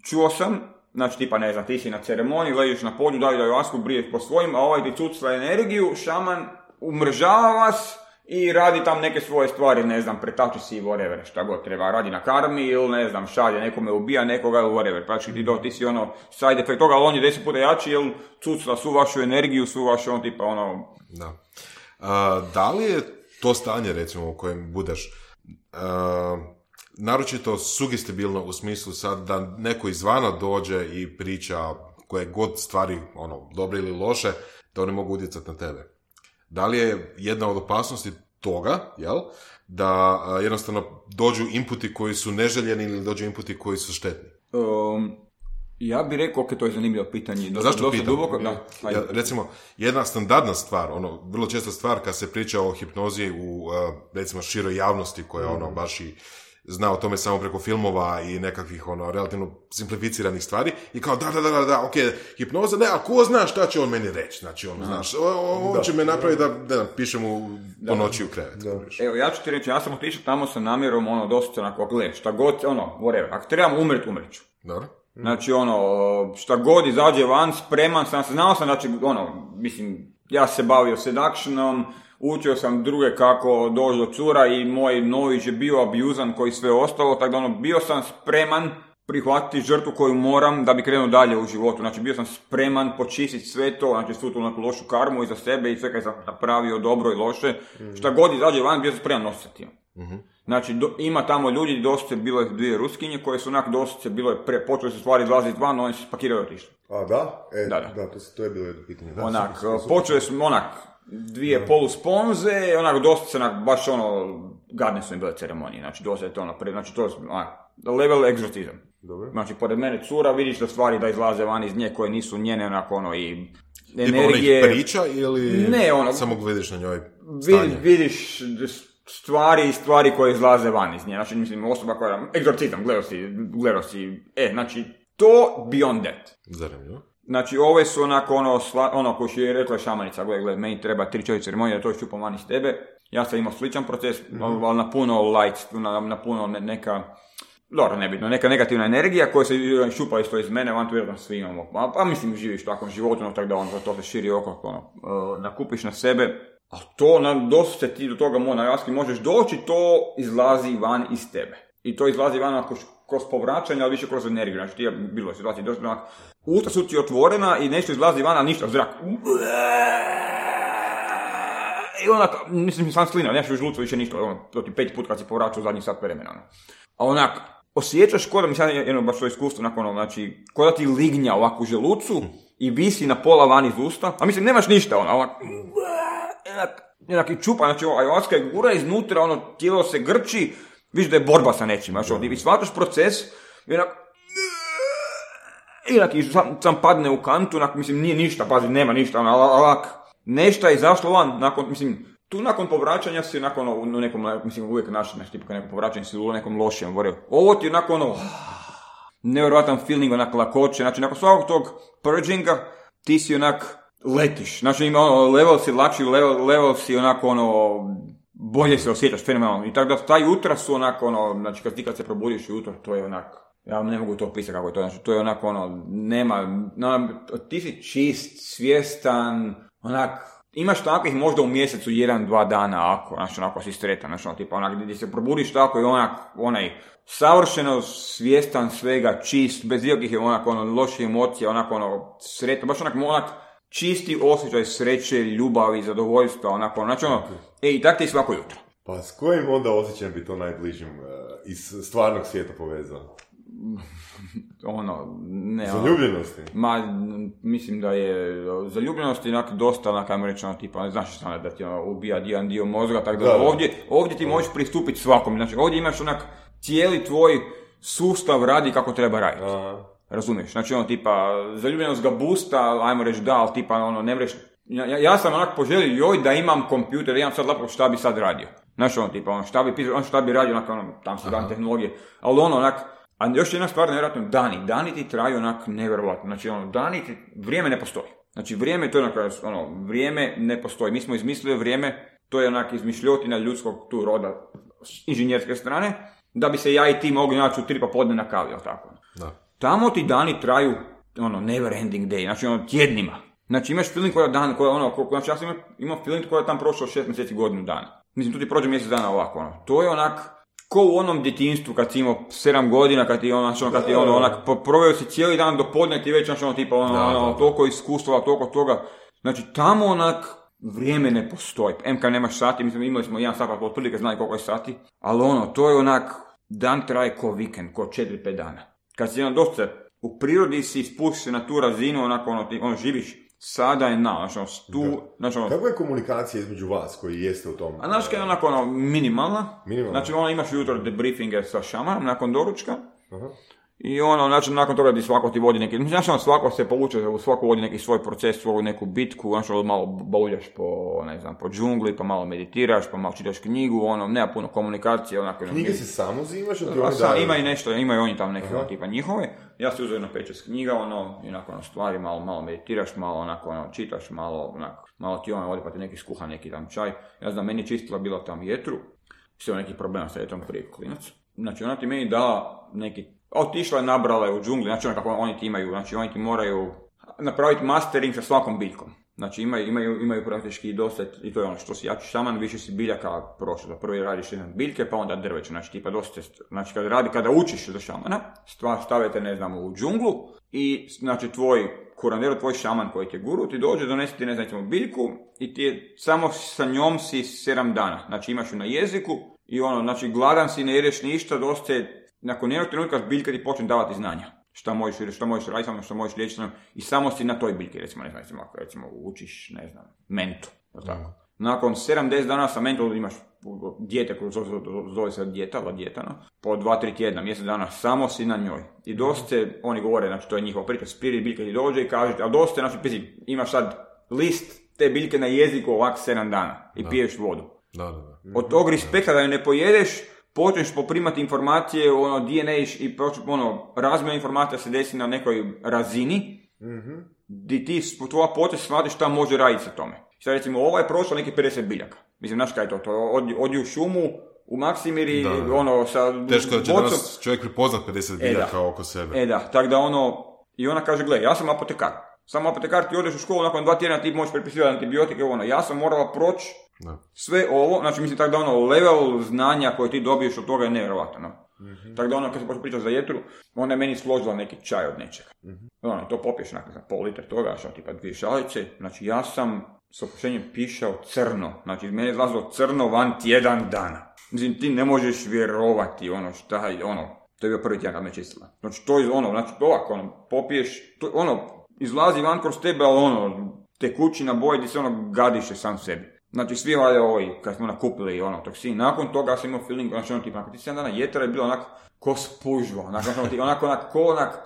čuo sam, znači, tipa, ne znam, ti si na ceremoniji, ležiš na polju, daju ayahuasku, briješ po svojim, a ovaj ti cucla energiju, šaman umržava vas, i radi tam neke svoje stvari, ne znam, pretači si whatever, šta god treba, radi na karmi ili ne znam, šalje nekome, ubija nekoga ili whatever, pa ti, do, ti si ono side effect toga, ali on je deset puta jači jer cucla svu vašu energiju, svu vašu on tipa ono... Da. A, da li je to stanje recimo u kojem budeš a, naročito sugestibilno u smislu sad da neko izvana dođe i priča koje god stvari, ono, dobre ili loše, da oni mogu utjecati na tebe? Da li je jedna od opasnosti toga, jel, da a, jednostavno dođu inputi koji su neželjeni ili dođu inputi koji su štetni? Um, Ja bih rekao, ok, to je zanimljivo pitanje. Dosta, Zašto dosta pitam? duboko, da. Ja, recimo, jedna standardna stvar, ono, vrlo česta stvar kad se priča o hipnozi u, uh, recimo, široj javnosti koja, ono, baš i zna o tome samo preko filmova i nekakvih, ono, relativno simplificiranih stvari i kao, da, da, da, da, da, ok, hipnoza, ne, a ko zna šta će on meni reći, znači, on, znaš, on Da. će me napraviti da, da, pišem mu po noći u krevet. Da. Evo, ja ću ti reći, ja sam otišao tamo sa namjerom, ono, dosta onako, gle, šta god, ono, whatever, ako trebam umret, umret ću. Dobro? Znači, ono, šta god izađe van, spreman sam, znao sam, znači, ono, mislim, ja se bavio seductionom, učio sam druge kako doći do cura i moj nović je bio abuzan koji sve ostalo, tako da ono, bio sam spreman prihvatiti žrtvu koju moram da bi krenuo dalje u životu. Znači, bio sam spreman počistiti sve to, znači svu tu neku lošu karmu iza sebe i sve kaj sam napravio dobro i loše. Mm. Šta god izađe van, bio sam spreman nositi. Mm-hmm. Znači, do, ima tamo ljudi, dosta bilo je dvije Ruskinje koje su onak dosta, bilo je pre, počeli su stvari izlaziti van, oni su spakirali i otišli. A da? E, Da, da. da to, to je bilo jedno pitanje. Da, Onak, super, super. počeli su onak, dvije polusponze, onak, dosta se onak, baš ono, gadne su im bile ceremonije, znači, dosta je to ono, pre, znači, to je onak, level egzorcizam. Dobro. Znači, pored mene cura, vidiš da stvari da izlaze van iz nje koje nisu njene, onako, ono, i Tipa energije. onih priča ili Ne, ono- samo vidiš na njoj Vidi, stanje? vidiš stvari i stvari koje izlaze van iz nje, znači, mislim, osoba koja, egzorcizam, gledao si, gledao si, e, znači, to beyond that. Zanimljivo. Znači, ove su onako ono, sla, ono koji je rekla šamanica, gledaj, gledaj, meni treba tri čovjek ceremonije da to ščupam van iz tebe. Ja sam imao sličan proces, mm-hmm. ali na puno light, na, na puno ne, neka, dobro, nebitno, neka negativna energija koja se šupa isto iz mene, van tu vjerojatno svi imamo. Pa, pa mislim, živiš u takvom životu, no, tako da on, to se širi oko, ono, uh, nakupiš na sebe. A to, na, dosta se ti do toga mo, na jaski možeš doći, to izlazi van iz tebe. I to izlazi van ako kroz povraćanje, ali više kroz energiju. Znači, ti je bilo situacije, dosta onak, usta su ti otvorena i nešto izlazi van, a ništa, zrak. I onak, mislim, sam slina, nešto u žlucu, više ništa, ono, to ti pet put kad si povraćao u zadnji sat vremena. Ono. A onak, osjećaš kod da mi sad jedno baš to iskustvo, onako, ono, znači, kod da ti lignja ovako u želucu i visi na pola van iz usta, a mislim, nemaš ništa, ono, onak, onak, onak i čupa, znači, ayahuasca je gura iznutra, ono, tijelo se grči, vidiš da je borba sa nečim, znači, ono, i shvataš proces, i onak, i onak, i sam, sam padne u kantu, onak, mislim, nije ništa, pazi, nema ništa, ono, alak, nešto je izašlo van, nakon, mislim, tu nakon povraćanja si nakon, u nekom, mislim, uvijek naš, znači, tipa neko povraćanje si u nekom lošijem, voreo, ovo ti je nakon, ono, nevjerojatan feeling, onak, lakoće, znači, nakon svakog tog purginga, ti si onak, letiš, znači, ima ono, level si lakši, level, level si onako, ono, bolje se osjećaš, fenomenalno, i tako da ta jutra su onako, ono, znači, kad ti kad se probudiš jutro, to je onak, ja ne mogu to opisati kako je to, znači, to je onako, ono, nema, no, ti si čist, svjestan, onak, imaš takvih možda u mjesecu jedan, dva dana, ako, znači, onako si sretan, znači, ono, tipa, onak, gdje se probudiš tako i onak, onaj, savršeno svjestan svega, čist, bez ikakvih, onak, ono, loših emocija, onako, ono, sretan, baš onak, onak, čisti osjećaj sreće, ljubavi, zadovoljstva, onako, znači, ono, e, i tak ti svako jutro. Pa s kojim onda osjećajem bi to najbližim uh, iz stvarnog svijeta povezao? Ono, ne, Zaljubljenosti? Ma, mislim da je zaljubljenosti onak dosta, onak, ajmo reći, ono, tipa, ne znaš što da ti ono, ubija jedan dio mozga, tako da, Da, da. ovdje, ovdje ti možeš pristupiti svakom, znači ovdje imaš onak, cijeli tvoj sustav radi kako treba raditi. Aha. Razumiješ? Znači ono, tipa, zaljubljenost ga boosta, ajmo reći da, ali tipa, ono, ne mreš, ja, ja sam onak poželio, joj, da imam kompjuter, da imam sad laptop, šta bi sad radio. Znači ono, tipa, ono, šta bi pisao, ono, šta bi radio, onak, ono, tam su dan tehnologije, ali ono, onak, a još jedna stvar, nevjerojatno, dani. Dani ti traju onak nevjerojatno. Znači, ono, dani ti, vrijeme ne postoji. Znači, vrijeme, to je onak, ono, vrijeme ne postoji. Mi smo izmislili vrijeme, to je onak izmišljotina ljudskog tu roda, inženjerske strane, da bi se ja i ti mogli naći u tri popodne na kavi, jel tako? Da. Tamo ti dani traju, ono, never ending day, znači, ono, tjednima. Znači, imaš feeling koja dan, koja, ono, ko, znači, ja sam imam, imam feeling koja je tam prošlo šest mjeseci, godinu dana. Mislim, tu ti prođe mjesec dana ovako, ono. To je onak, ko u onom djetinjstvu kad si imao sedam godina, kad ti ono, kad ti ono, onak, proveo si cijeli dan do podne, ti već, znači, ono, tipa, ono, Da, ono, da, da. toliko iskustva, toliko toga. Znači, tamo, onak, vrijeme ne postoji. M K nemaš sati, mislim, imali smo jedan sat, pa otprilike znali koliko je sati, ali ono, to je onak, dan traje ko vikend, ko četiri pet dana. Kad si, ono, dosta, u prirodi si spusti se na tu razinu, onako, ono, ti, ono, živiš, sada je na, znači, ono, tu, znači, ono, Kakva je komunikacija između vas koji jeste u tom? a znaš kaj je onako, ono, minimalna. Minimalna. Znači, ono, imaš jutro debriefinge sa šamanom nakon doručka. Aha. I ono, znači, nakon toga ti svako ti vodi neki, znači, ono, svako se povuče, svako vodi neki svoj proces, svoju neku bitku, znači, malo boljaš po, ne znam, po džungli, pa malo meditiraš, pa malo čitaš knjigu, ono, nema puno komunikacije, onako... Knjige se samo uzimaš? A sam, ima i nešto, imaju oni tam neke, ono, tipa njihove. Ja se uzeo na pet šest knjiga, ono, i onako, ono, stvari, malo, malo meditiraš, malo, onako, ono, čitaš, malo, onako, malo ti ono, odi pa ti neki skuha, neki tam čaj. Ja znam, meni je čistila bila tam jetru, sve neki problema sa jetrom prije klinac. Znači, ona ti meni dala neki, otišla je, nabrala je u džungli, znači ono kako oni ti imaju, znači oni ti moraju napraviti mastering sa svakom biljkom. Znači imaju, imaju, imaju praktički dosta, i to je ono što si jači šaman, više si biljaka prošlo. Da prvi radiš jedan biljke, pa onda drveće, znači tipa dosta, znači kada radi, kada učiš za šamana, stavite, ne znam, u džunglu i znači tvoj kurandero, tvoj šaman koji ti je guru, ti dođe, donesi ti, ne znam, biljku i ti je, samo sa njom si sedam dana, znači imaš ju na jeziku i ono, znači gladan si, ne jedeš ništa, dosta je, nakon jednog trenutka biljka ti počne davati znanja. Šta možeš, šta možeš raditi, šta možeš liječiti, i samo si na toj biljki, recimo, ne znam, recimo, ako recimo učiš, ne znam, mentu, tako. Nakon sedamdeset dana sa mentom imaš dijete, koje zove, zove se dijeta, la dijeta, no? Po dva tri tjedna, mjesec dana, samo si na njoj. I dosta, oni govore, znači to je njihova priča, spirit biljka ti dođe i kaže, a dosta, znači, pisi, imaš sad list te biljke na jeziku ovak sedam dana i da. Piješ vodu. Da, da, da. Od tog respekta da je ne pojedeš, počneš poprimati informacije, ono, D N A i ono, razmjena informacija se desi na nekoj razini, mm-hmm. di ti tvoja počeš shvatiš šta može raditi sa tome. Sad recimo, ovo je prošlo neki pedeset biljaka. Mislim, znaš kaj je to? to odi, odi u šumu, u Maksimiri, da, da. ono, sa... Teško da će bocom. Danas čovjek prepoznat pedeset biljaka e, oko sebe. E da, tako da ono, i ona kaže, gle, ja sam apotekar. Samo apotekar, ti odeš u školu, nakon dva tjedna ti možeš prepisivati antibiotike, ono, ja sam morala proći da. Sve ovo, znači mislim tako da ono, level znanja koje ti dobiješ od toga je nevjerovatno. No? Mm-hmm. Tako da ono, kad se počeo pričati za jetru, ona je meni složila neki čaj od nečega. Mm-hmm. Ono, to popiješ nakon za pol litra toga, što tipa dvije šalice, znači ja sam s opuštenjem pišao crno, znači iz mene je izlazilo crno van tjedan dana. Mislim, ti ne možeš vjerovati ono šta je, ono, to je bio prvi tjedan kad me čistila. Znači to je ono, znači ovako, ono, popiješ, to, ono, izlazi van kroz tebe, ali ono, tekućina boje gdje se ono gadiše sam sebi. Znači svi valjda ovi, kad smo nakupili ono toksin, nakon toga sam imao feeling, znači ono tipa, nakon ti sedam dana jetra je bilo onako ko spužva, onako, onako, onako, onako, ko onak,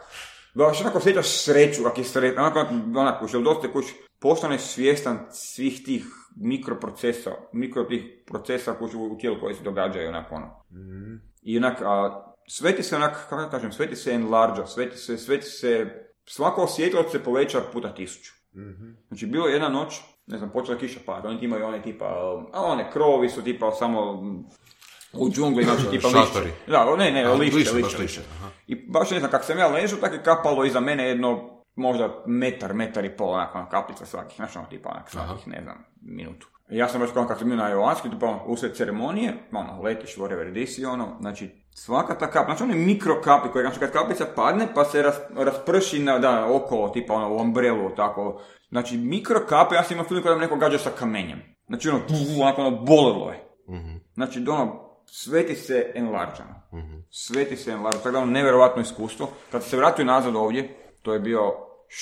baš onako osjećaš sreću, kak je sretno, onako, onako, što dosta kuć, postaneš svjestan svih tih mikroprocesa, mikro tih procesa koji u tijelu koji se događaju, onako, ono. Mm-hmm. I onak, a, sve ti se onak, kako da kažem, sve ti se enlarđa, sve ti se, sve ti se, svako osjetljivost se poveća puta tisuću. Mm-hmm. Znači, bilo je jedna noć, ne znam, počela kiša pada, oni imaju one tipa, a one krovi su tipa samo u džungli, znači tipa lišće. Da, ne, ne, lišće, lišće, lišće. I baš ne znam, kak sam ja ležao, tako je kapalo iza mene jedno, možda metar, metar i pol, onako, kaplica svakih, znači ono tipa, onak, svakih, ne znam, minutu. I ja sam baš kao, kak sam bio na ayahuasku, tipa, ono, usred ceremonije, ono, letiš, whatever this i ono, znači, svaka ta kap, znači one mikrokapi koje, znači kad kaplica padne pa se ras, rasprši na, da, okolo, tipa ono, u umbrelu, tako. Znači mikrokape, ja sam imao film kada me neko gađa sa kamenjem. Znači ono, onako ono, bolilo je. Mm-hmm. Znači ono, sve ti se enlarđano. Mm-hmm. Sve ti se enlarđano, tako da ono, nevjerovatno iskustvo. Kad se vratio nazad ovdje, to je bio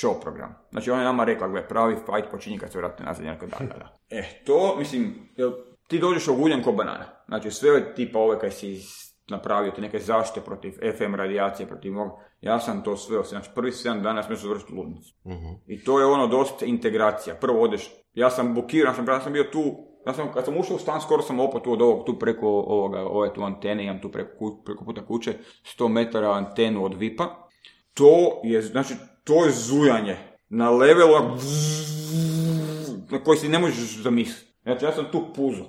show program. Znači ona je nama rekla, gle, pravi fight počinje kad se vratio nazad, jednako da, da, da. E, to, mislim, ti dođeš oguljen ko banana. Znači sve tipa ove kaj si napravio ti neke zaštite protiv F M radijacije, protiv mog, ja sam to sve, znači prvi sedam dana sam završiti ludnicu. Uh-huh. I to je ono dosta integracija. Prvo odeš, ja sam blokiran, sam, ja sam bio tu, ja sam, kad sam ušao u stan, skoro sam opet tu od ovog, tu preko ovoga, ove tu antene, imam tu preko, preko puta kuće, sto metara antenu od vipa. To je, znači, to je zujanje na levelu na koji si ne možeš zamisliti. Znači, ja sam tu puzo.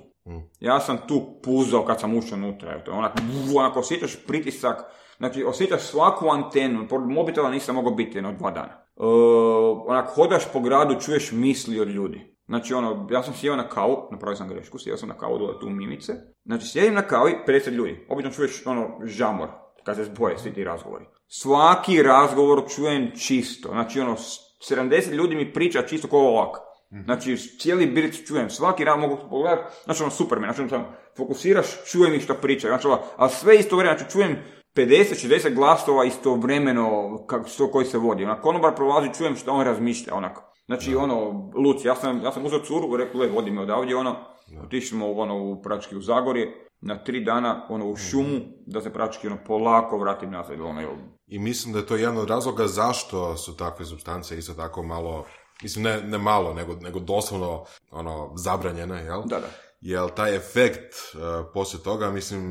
Ja sam tu puzao kad sam ušao unutra, onak, onako osjećaš pritisak, znači osjećaš svaku antenu, pored mobitela nisam mogao biti jedno dva dana. Uh, onak, hodaš po gradu, čuješ misli od ljudi. Znači ono, ja sam sjeo na kavu, napravio sam grešku, sjeo sam na kavu dole tu u Mimice, znači sjedim na kavi, pedeset ljudi, obično čuješ ono žamor, kad se zboje svi ti razgovori. Svaki razgovor čujem čisto, znači ono, sedamdeset ljudi mi priča čisto kao ovako. Znači, cijeli biric čujem, svaki rad mogu pogledati, znači ono super me, znači ono fokusiraš, čujem ih što pričaju, znači ono, ali sve isto vremena, znači čujem pedeset šezdeset glasova istovremeno što koji se vodi, onak, konobar prolazi, čujem što on razmišlja, onako. Znači, ono, Luci, ja sam, ja sam uzeo curu, rekao, le, vodi me odavdje, ono, otišli smo, ono, u Prački u Zagorje, na tri dana ono, u šumu, da se praktički ono, polako vratim nazad. Ono, I mislim da je to jedan od razloga zašto su takve supstance isto tako malo, mislim ne, ne malo, nego, nego doslovno ono, zabranjene, jel? Da, da. Jel taj efekt uh, poslije toga, mislim,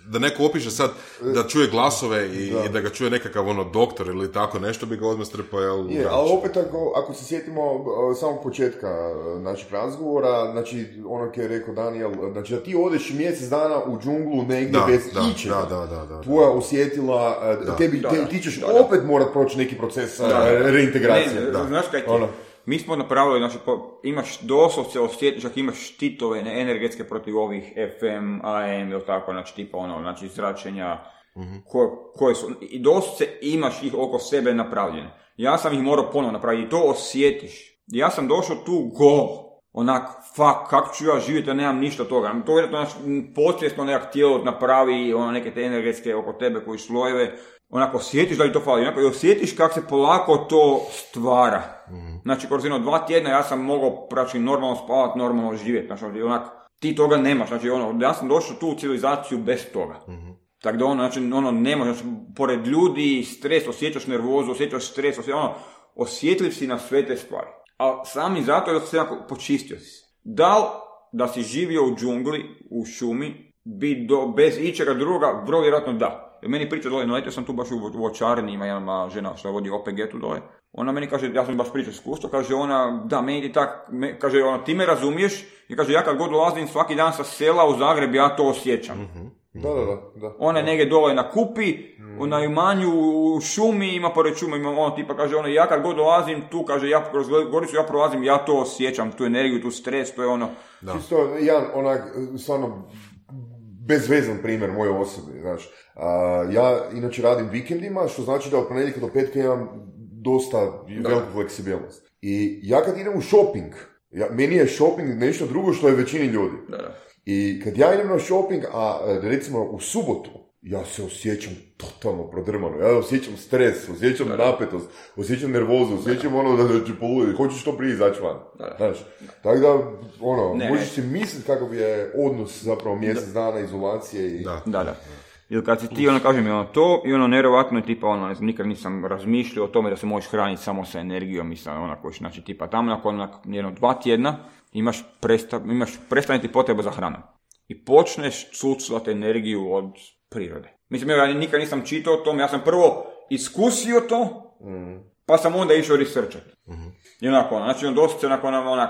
da neko opiše sad, da čuje glasove i da, i da ga čuje nekakav ono doktor ili tako nešto, bi ga odmah strpao, jel? Je, ali opet ako, ako se sjetimo uh, samog početka uh, našeg razgovora, znači ono koje je rekao Daniel, znači da ti odeš mjesec dana u džunglu negdje da, bez da, ičega, da, da, da, da, tvoja osjetila, uh, da, tebi, da, te, da, ti ćeš da, da. opet morat proći neki proces uh, da, da. reintegracije. Ne, da. Znaš kaj ti? Ono. Mi smo napravili, znači, po, imaš doslovce osjetiš, ako imaš štitove ne, energetske protiv ovih F M, A M ili tako, znači tipa ono, znači zračenja, mm-hmm. koje, koje su, i doslovce imaš ih oko sebe napravljene. Ja sam ih morao ponovno napraviti i to osjetiš. Ja sam došao tu gol, onak, fuck, kako ću ja živjeti, ja nemam ništa toga. To je to, znači, podsvjesno nekak tijelo napravi, ono, neke te energetske oko tebe koji slojeve, onako osjetiš da li to fali, onako i osjetiš kako se polako to stvara. Mm. Znači, kroz jedno dva tjedna ja sam mogao praći normalno spavati, normalno živjeti, znači, onak, ti toga nemaš, znači, ono, ja sam došao tu u civilizaciju bez toga. Mm-hmm. Tako da, ono, znači, ono, nemaš, znači, pored ljudi, stres, osjećaš nervozu, osjećaš stres, osjećaš, ono, osjetljiv si na sve te stvari. A sami zato da se onako počistio si. Da li da si živio u džungli, u šumi, bi do, bez ičega druga, vrlo vjerojatno da. Jer meni priča dole, naletio sam tu baš u voćarni, ima jedna žena što vodi O P G tu dole. Ona meni kaže, ja sam baš pričao iskustvo, kaže ona, da, meni ti tak, me, kaže ona, ti me razumiješ, i kaže, ja kad god dolazim svaki dan sa sela u Zagreb, ja to osjećam. Mm-hmm. Da, da, da, da. Ona je negdje dole na Kupi, mm. na imanju, u šumi, ima pored šuma, ima ono tipa, kaže ona, ja kad god dolazim tu, kaže, ja kroz Goricu, ja prolazim, ja to osjećam, tu energiju, tu stres, to je ono. Da. Čisto, jedan, onak, stvarno, bezvezan primjer moje osobe, znaš. Uh, ja inače radim vikendima, što znači da od ponedjeljka do petka imam dosta da. veliku fleksibilnost. I ja kad idem u shopping, ja, meni je shopping nešto drugo što je većini ljudi. Da, da. I kad ja idem na shopping, a recimo u subotu, ja se osjećam totalno prodrmano, ja osjećam stres, osjećam da, napetost, osjećam nervozu, osjećam da, ono da, da ću poluditi, hoću što prije izaći van. Da, da. Znaš, tako da, ono, ne, možeš si misliti kakav je odnos zapravo mjesec da. dana izolacije i... Da, da. da. Ili kad si ti, ono, kažem, ono, to i ono, nevjerovatno je tipa, ono, ne znam, nikad nisam razmišljao o tome da se možeš hraniti samo sa energijom i sa, onako, znači, tipa, tamo nakon, nakon jedno dva tjedna imaš, presta, imaš prestaneti potreba za hranom. I počneš cuclati energiju od prirode. Mislim, ja nikad nisam čitao o tom, ja sam prvo iskusio to, mm. pa sam onda išao researchati. Mm-hmm. I onako, znači, on dosta se onako, onak,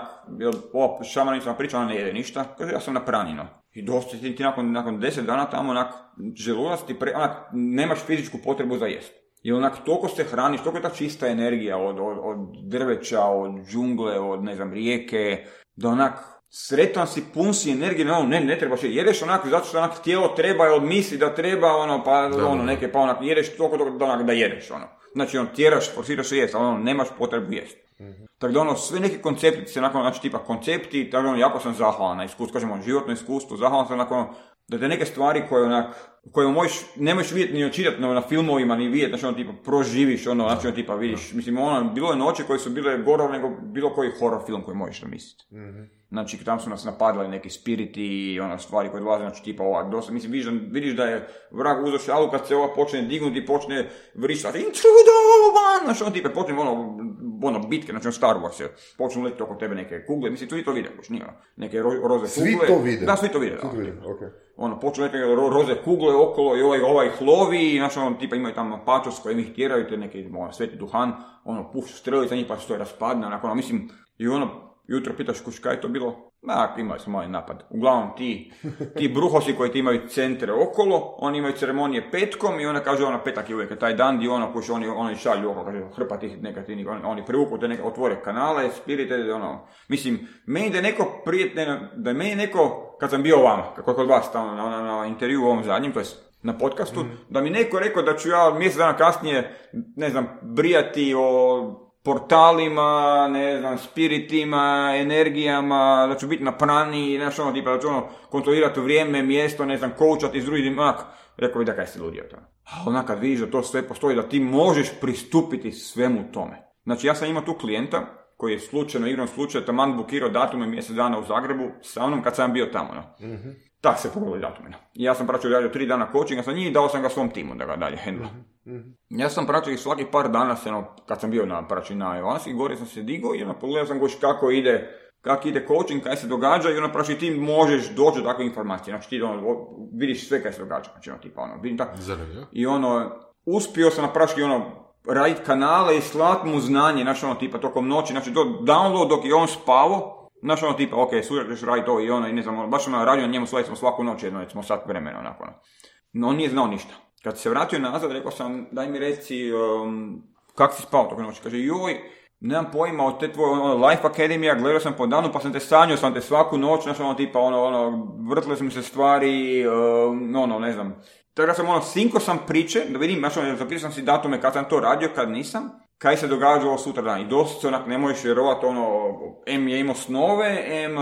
ova šamanica nam priča, ona ne jede ništa, kaže, ja sam na pranino. I dosta ti nakon, nakon deset dana tamo, onak, želudac ti pre, onak, nemaš fizičku potrebu za jest. I onak, toliko se hraniš, toliko je ta čista energija od, od, od drveća, od džungle, od, ne znam, rijeke, da onak, sretan si, pun si energije, no, ne, ne trebaš, jedeš onak, zato što onak tijelo treba, od misli da treba, ono, pa, da, ono, neke, pa onak, jedeš toliko da, onak, da jedeš, ono. Znači, on tjeraš, forsiraš se jest, ali ono, nemaš potrebu jest. Mm-hmm. Tako da, ono, sve neki koncepti se, nakon, znači, tipa koncepti, tako da, ono, jako sam zahvalan na iskustvo, kažemo, životno iskustvo, zahvalan sam, nakon, da te neke stvari koje, onak, koje možeš, ne možeš vidjeti ni očitati na, na filmovima, ni vidjeti, znači, ono, tipa, proživiš, ono, znači, ono, tipa, vidiš, mislim, ono, bilo je noći koje su bile gore nego bilo koji horror film koji možeš namisliti. Mm-hmm. Znači, tam su nas napadali neki spiriti i ono stvari koje dolaze, znači, tipa, ova, dosta, mislim, vidiš, vidiš da je vrag uzeo šalu kad se ova počne dignuti i počne vrištati, intruder, znači, ono, tipa, počne, ono, ono, bitke, znači, ono, Star Wars je, počnu letiti oko tebe neke kugle, mislim, tu i to vide, boš, nije, ono, neke ro, roze svi kugle. Svi to vide? Da, svi to vide, da. Svi to vide, okej. Okay. Ono, počnu neke ro, roze kugle okolo i ovaj, ovaj hlovi, znači, ono, tipa, imaju tamo pačos koji ih tjeraju, te neki, ono, sveti duhan, ono, puš, strelica njih pa što je raspadne, onako, ono, mislim, i ono, jutro pitaš kuć kaj je to bilo? Ma, imali smo mali napad. Uglavnom ti, ti bruhosi koji ti imaju centre okolo, oni imaju ceremonije petkom i ona kaže, ona petak je uvijek taj dan gdje ono, kuć, oni, oni šalju oko, kaže, hrpa tih negativnih, oni, oni privuku te neke, otvore kanale, spirite, ono, mislim, meni da je neko prije, ne, da je meni neko, kad sam bio vama, kako je kod vas tamo na, na, na intervju u ovom zadnjem, to je na podcastu, mm. da mi neko rekao da ću ja mjesec dana kasnije, ne znam, brijati o portalima, ne znam, spiritima, energijama, da ću biti na prani, znaš ono, tipa, da ću ono, kontrolirati vrijeme, mjesto, ne znam, koučati s drugim, onak, rekao bi da kaj si ludio to. A onak kad vidiš da to sve postoji, da ti možeš pristupiti svemu tome. Znači, ja sam imao tu klijenta, koji je slučajno, igrom slučaja, taman bukirao datume mjesec dana u Zagrebu, sa onom kad sam bio tamo, no. Mm-hmm. Tak se pogledali datumina. I ja sam praćao radio tri dana coachinga sa njih i dao sam ga svom timu da ga dalje handla. Mm-hmm. Ja sam praćao i svaki par dana, se, ono, kad sam bio na praću na Evansi, gore sam se digao i ono, pogledao sam goš kako ide, kako ide coaching, kaj se događa i ono, praću ti možeš doći do takve informacije. Znači ti ono, vidiš sve kaj se događa. Znači ono, tipa ono, vidim tako. I ono, uspio sam napraški ono, raditi kanale i slat mu znanje, znači ono, tipa tokom noći, znači do download dok je on spavao. Znaš ono tipa, ok, sutra ćeš raditi to i ono, i ne znam, baš ono radio na njemu, svali smo svaku noć jedno, recimo sat vremena, onako. No, on nije znao ništa. Kad se vratio nazad, rekao sam, daj mi reci, um, kak si spao tog noći? Kaže, joj, nemam pojma od te tvoje ono, Life Academija, gledao sam po danu, pa sam te sanjao, sam te svaku noć, znaš ono tipa, ono, ono, vrtile su mi se stvari, um, ono, ne znam. Tako da sam ono, sinko sam priče, da vidim, znaš ono, zapisao sam si datume kad sam to radio, kad nisam. Kaj se događalo sutra dan. I dosta se onak ne možeš vjerovati, ono, M je imao snove, M,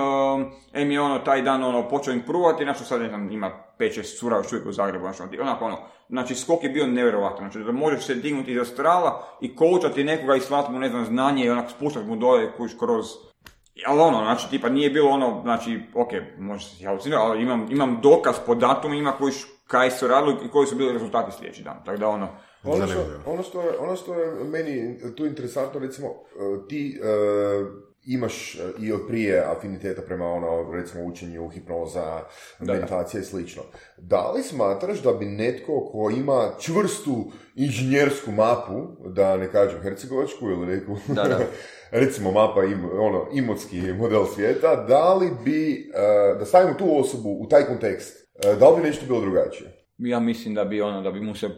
M je ono, taj dan ono, počeo improvati, znači sad ne znam, ima pet šest cura još uvijek u Zagrebu, znači, onako ono, znači skok je bio nevjerovatan, znači da možeš se dignuti iz astrala i coachati nekoga i slati mu, ne znam, znanje i onak spuštati mu dole kuš kroz, ali ono, znači, tipa nije bilo ono, znači, ok, može se halucinirati, ali imam, imam dokaz po datumima koji kaj su radili i koji su bili rezultati sljedeći dan, tako da ono, Ono što, ono, što je, ono što je meni tu interesantno, recimo, ti uh, imaš i od prije afiniteta prema ono, recimo, učenju, hipnoza, da, meditacija i slično. Da li smatraš da bi netko ko ima čvrstu inženjersku mapu, da ne kažem hercegovačku ili neku, da, da. recimo mapa, im, ono, imotski model svijeta, da li bi, uh, da stavimo tu osobu u taj kontekst, uh, da li bi nešto bilo drugačije? Ja mislim da bi ono, da bi mu se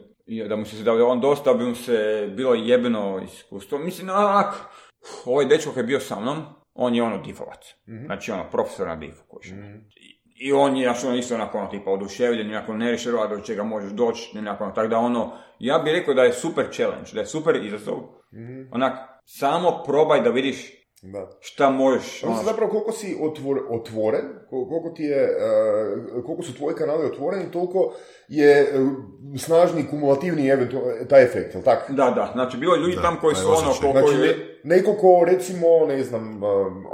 da mu se da on dosta bi mu se bilo jebeno iskustvo. Mislim, onak, ovaj dečko koji je bio sa mnom, on je ono difovac. Mm-hmm. Znači ono, profesor na difu. Mm-hmm. I, I on je, znači ono, isto onako, ono, tipa, oduševljen, onako, ne reširova do čega možeš doći, onako, ono, tako da ono, ja bih rekao da je super challenge, da je super izazov. Mm-hmm. Onak, samo probaj da vidiš da. Šta možeš. Ono, zapravo koliko si otvor, otvoren, koliko ti je, uh, koliko su tvoji kanali otvoreni, toliko je uh, snažni kumulativni eventu, taj efekt, jel tako? Da, da, znači bilo je ljudi da, tam koji su ono... Ko, znači, koji... ne, neko ko recimo, ne znam, uh,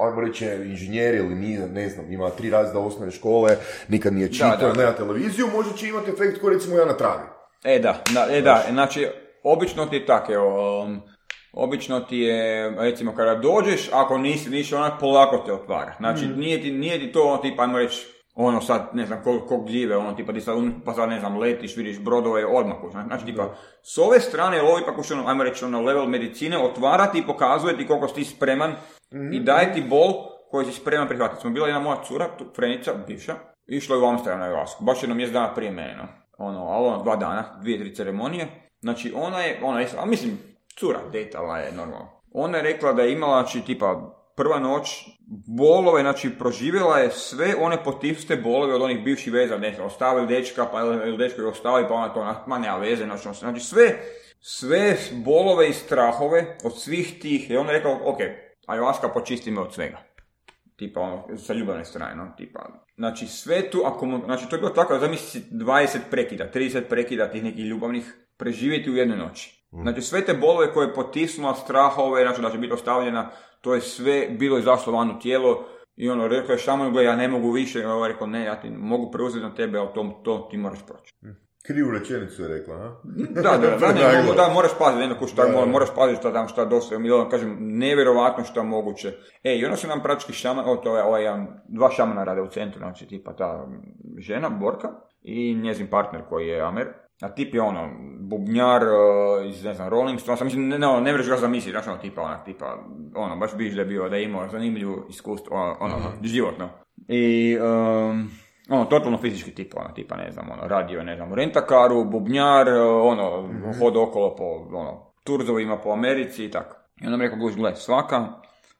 ajmo reći inženjer ili nije, ne znam, ima tri razreda osnovne škole, nikad nije čitao, nema televiziju, možda će imati efekt koji recimo ja na travi. E da, da, e da, znači, obično ti je tako, evo... Um, Obično ti je, recimo, kada dođeš, ako nisi, nisi onak, polako te otvara. Znači, mm. nije, ti, nije ti to, ono, tipa, ajmo reći, ono sad, ne znam, koliko kol gljive, ono, tipa, ti sad, pa sad, ne znam, letiš, vidiš brodove, odmah, znači, tipa, s ove strane, ovo ipak už, ono, ajmo reći, ono, level medicine, otvara ti i pokazuje ti koliko si ti spreman mm. i daje ti bol koji si spreman prihvatiti. Smo bila jedna moja cura, tu, Frenica, bivša, išla je u Amsterdam na Ivasku, baš jedno mjesec dana prije mene, no. ono, ali ono, dva dana, dvije, tri ceremonije, znači, ona je, ona je, a mislim, cura, detala je normalno. Ona je rekla da je imala, znači, tipa, prva noć, bolove, znači, proživjela je sve one potisnuste bolove od onih bivših veza, ne znam, ostavili dečka, pa ili dečko je ostavili, pa ona to, ma nema veze, znači, znači, sve, sve bolove i strahove od svih tih, i ona je rekla, ok, ayahuasca počisti me od svega. Tipa, ono, sa ljubavne strane, no, tipa, znači, sve tu, ako mu, znači, to je bilo tako, zamisli dvadeset prekida, trideset prekida tih nekih ljubavnih, preživjeti u jednoj noći. Znači sve te bolove koje je potisnula, strahove, znači da će biti ostavljena, to je sve bilo izašlo van u tijelo i ono, rekao je šaman, gle, ja ne mogu više, i on rekao, ne, ja ti mogu preuzeti na tebe, ali to, to ti moraš proći. Krivu rečenicu je rekla, ha? Da, da, da, da, ne, mogu, da moraš paziti, ne, kuš, da, moraš paziti šta tam, šta dosta, mi kažem, nevjerovatno šta moguće. E, i onda su nam praktički šaman, o, to je ovaj, dva šamana rade u centru, znači tipa ta žena, Borka, i njezin partner koji je Amer. A tip je ono, bubnjar uh, iz, ne znam, Rolling Stones, mislim, ne, ne, ne vreš ga zamisliti, znaš ono, tipa, onak, tipa, ono, baš biš da je bio, da je imao zanimljivu iskustvo, ono, ono mm-hmm. životno. I, um, ono, totalno fizički tip, ono, tipa, ne znam, ono, radio, ne znam, u rentakaru, bubnjar, ono, mm-hmm. hod okolo po, ono, turzovima po Americi i tako. I onda mi rekao, guš, gled, svaka,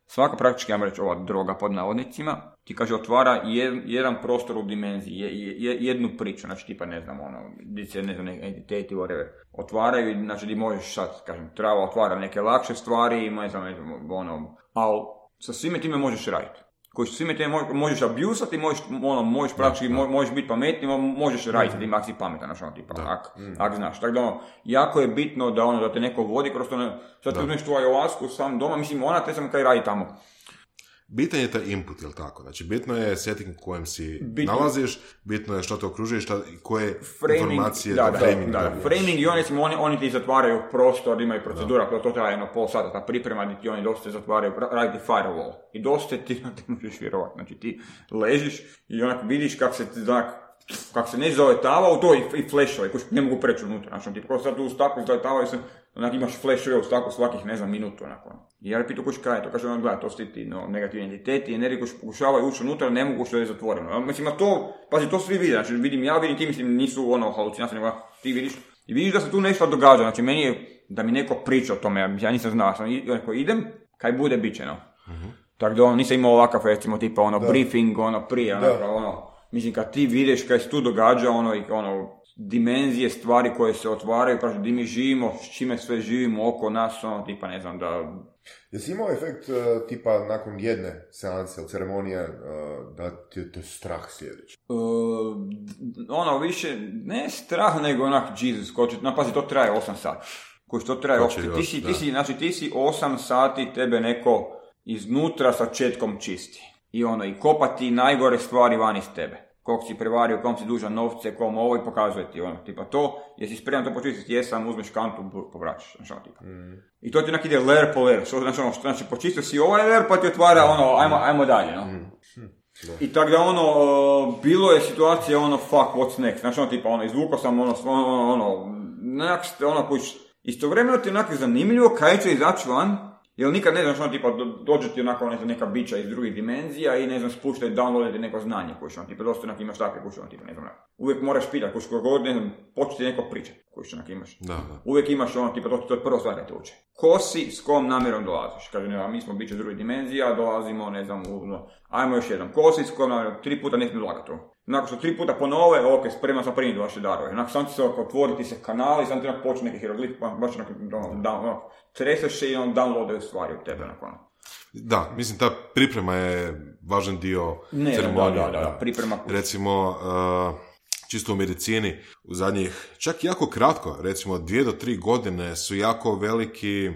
svaka praktički, ja mi reći, ova droga pod navodnicima, ti kaže otvara jed, jedan prostor u dimenziji, je, je, jednu priču, znači tipa ne znam, ono, gdje se ne znam, entiteti, whatever, otvaraju, znači di možeš sad, kažem, trava otvara neke lakše stvari, ne znam, ne znam, ono, ali sa svime time možeš raditi. Koji sa svime time možeš abusati, možeš, ono, možeš praktički, no, no. možeš biti pametni, možeš raditi, mm-hmm. ak si pametan, znači ono, tipa, ak, mm-hmm. ak znaš. Tako da ono, jako je bitno da ono, da te neko vodi kroz to, ne, sad ti uzmeš tu ayahuasku sam doma, mislim, ona te sam kaj radi tamo. bitan je taj input, jel tako? Znači, bitno je setting u kojem si Bitno. nalaziš, bitno je što te okružuje, šta, koje Framing, informacije da, da, da, framing da, da, dobiješ. framing i oni, oni, oni ti zatvaraju prostor, imaju procedura, to, to traje jedno pol sata, ta priprema gdje ti oni dosta zatvaraju, radi firewall. I dosta ti, ti možeš vjerovati, znači ti ležiš i onak vidiš kako se znak, kako se ne zaletava u to i, i flashove, koji ne mogu preći unutra, znači ti sad tu u staku zaletavaju se, onak imaš flashove u staku svakih, ne znam, minutu, onako. I ja pitu kuć kaj je to, kaže on, gleda, to su ti no, negativni entiteti, energije koji pokušavaju ući unutra, ne mogu što je zatvoreno. Mislim, a to, pazi, to svi vide, znači vidim ja, vidim ti, mislim, nisu ono halucinacije, nego ti vidiš, i vidiš da se tu nešto događa, znači meni je, da mi neko priča o tome, ja nisam znao, sam onako, idem, kaj bude, bit će, no. Uh-huh. Tako da ono, nisam imao ovakav, recimo, tipa, ono, da. briefing, ono, prije, onako, ono, mislim, kad ti vidiš kaj se tu događa, ono, i ono, dimenzije, stvari koje se otvaraju, kaže, di mi živimo, s čime sve živimo oko nas, ono, tipa, ne znam, da... Jesi imao efekt, uh, tipa, nakon jedne seanse ili ceremonije, uh, da ti je to strah sljedeći? Uh, ono, više, ne strah, nego onak, Jesus, ko će, no, pazi, to traje osam sati. Koji to traje, Koči, ti, još, ti, si, da. ti, si, znači, ti si osam sati, tebe neko iznutra sa četkom čisti. I ono, i kopati najgore stvari van iz tebe. Koliko si prevario, kom si dužan novce, kom ovo i pokazuje ti ono, tipa to, jesi spreman to počistiti, jesam, uzmeš kantu, povraćaš, znači ono, tipa. Mm. I to ti onak ide layer po layer, što znači ono, što znači počistio si ovaj layer pa ti otvara ono, ajmo, ajmo dalje, no. Mm. I tako da ono, bilo je situacija ono, fuck, what's next, znači ono, tipa ono, izvukao sam ono, ono, ono, onak, ono, koji istovremeno ti onak zanimljivo, kaj će izaći van, jer nikad ne znaš, ono, tipa, dođe ti onako, ne znam, neka bića iz drugih dimenzija i, ne znam, spuštaj, downloadati neko znanje, koji što, ono, tipa, dosta onak imaš takve, koji što, ono, tipa, ne znam, uvijek moraš pitati, koji što god, ne znam, početi neko pričati, koji što, onak imaš. Da, da. Uvijek imaš, ono, tipa, to, to je prvo stvar da te uče. Ko si, s kom namjerom dolaziš? Kaže, ne znam, mi smo bića iz drugih dimenzija, dolazimo, ne znam, u, no, ajmo još jedan. Ko si, s kom namjerom, tri puta ne smije lagati to. Nakon što tri puta ponove, ok, spreman sam primiti vaše darove. Nakon sam ti se otvoriti se kanali, sam ti onak počne neki hieroglif, baš onak, ono, treseš se i on downloadaju stvari od tebe, onako. Da, mislim, ta priprema je važan dio ne, ceremonije. Da, da, da, priprema. Recimo, uh, čisto u medicini, u zadnjih, čak jako kratko, recimo dvije do tri godine su jako veliki,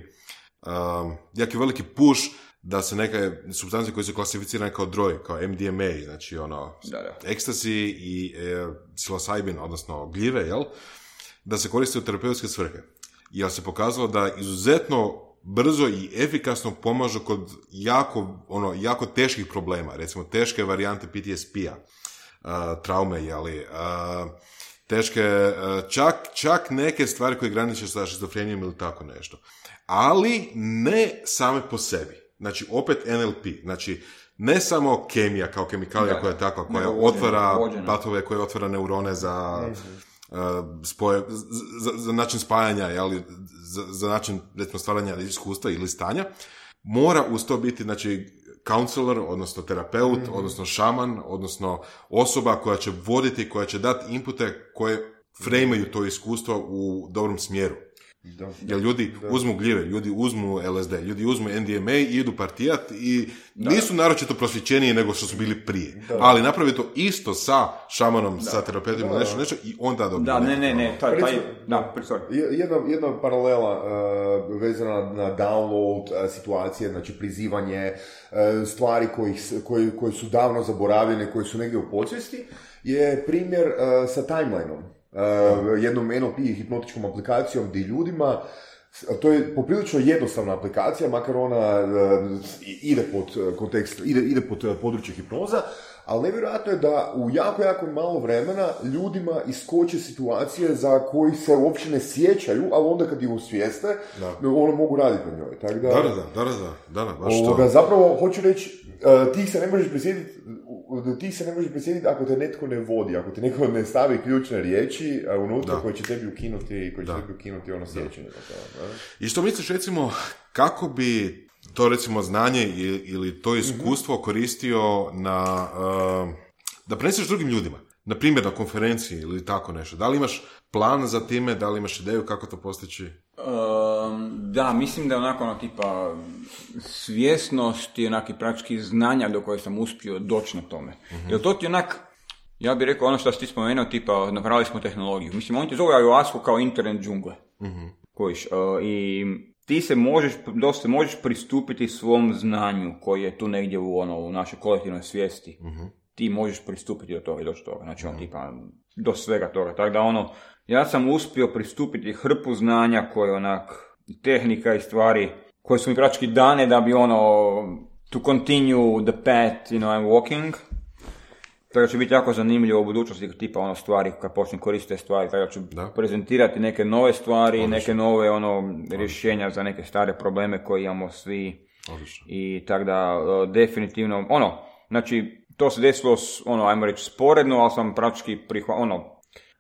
uh, jako veliki push da se neke supstancije koje su klasificirane kao drog, kao em de em a, znači ono, da, da. ekstasi i e, psilocybin, odnosno gljive, jel, da se koriste u terapeutske svrhe. Jer se pokazalo da izuzetno brzo i efikasno pomažu kod jako, ono, jako teških problema, recimo teške varijante P T S P-a, uh, traume, jeli, uh, teške, uh, čak, čak neke stvari koje graniče sa šizofrenijom ili tako nešto. Ali ne same po sebi. Znači, opet en el pe. Znači, ne samo kemija kao kemikalija da, koja je takva, koja vođena, otvara vođena. patove, koja otvara neurone za, mm-hmm. uh, spoje, za, za način spajanja, jeli, za, za način, recimo, stvaranja iskustva ili stanja, mora uz to biti, znači, counselor, odnosno terapeut, mm-hmm. odnosno šaman, odnosno osoba koja će voditi, koja će dati inpute koje frejmaju to iskustvo u dobrom smjeru. Da, jer ljudi da. uzmu gljive, ljudi uzmu el es de, ljudi uzmu en de em a i idu partijat i da. nisu naročito prosvjećeniji nego što su bili prije. Da. Ali napravi to isto sa šamanom, da. sa terapeutima, da. nešto, nešto i onda dobije. Da, ne, ne, ne, taj, taj, da, jedna, jedna paralela uh, vezana na download uh, situacije, znači prizivanje uh, stvari kojih, koji, koji su davno zaboravljene, koji su negdje u podsvijesti, je primjer uh, sa timelineom. Uh, jednom en el pe hipnotičkom aplikacijom gdje ljudima, to je poprilično jednostavna aplikacija, makar ona uh, ide pod kontekst, ide, ide pod područje hipnoza, ali nevjerojatno je da u jako, jako malo vremena ljudima iskoče situacije za koji se uopće ne sjećaju, ali onda kad ih osvijeste, ono mogu raditi na njoj. Tak da, da, da, da, da, da, da, baš ovoga, to. Zapravo, hoću reći, uh, ti se ne možeš prisjetiti ti se ne možeš prisjetiti ako te netko ne vodi, ako te netko ne stavi ključne riječi uh, unutra da. koje će tebi ukinuti, koji će tebi ukinuti ono sjećanje. I što misliš, recimo, kako bi to, recimo, znanje ili to iskustvo mm-hmm. koristio na, uh, da preneseš drugim ljudima? Na primjer, na konferenciji ili tako nešto. Da li imaš plan za time, da li imaš ideju kako to postići? Um, da, mislim da je onako ono tipa svjesnost i onaki praktički znanja do koje sam uspio doći na tome. Mm-hmm. Jer to ti onak, ja bih rekao ono što si ti spomenuo, tipa napravili smo tehnologiju. Mislim, oni ti zove ayahuasku kao internet džungle. Mm-hmm. Kojiš, uh, i ti se možeš, dosta možeš pristupiti svom znanju koji je tu negdje u, ono, u našoj kolektivnoj svijesti. Uh-huh. Ti možeš pristupiti do toga i doći do toga. Znači, on tipa, do svega toga. Tako da, ono, ja sam uspio pristupiti hrpu znanja koje, onak, tehnika i stvari koje su mi praktički dane da bi, ono, to continue the path, you know, I'm walking. Tako će biti jako zanimljivo u budućnosti, tipa ono stvari, kad počnem koristiti stvari, tako ću da. prezentirati neke nove stvari, Odlično. neke nove ono rješenja za neke stare probleme koje imamo svi. Odlično. I tako da, uh, definitivno, ono, znači, to se desilo, ono, ajmo reći, sporedno, ali sam praktički prihvatio, ono,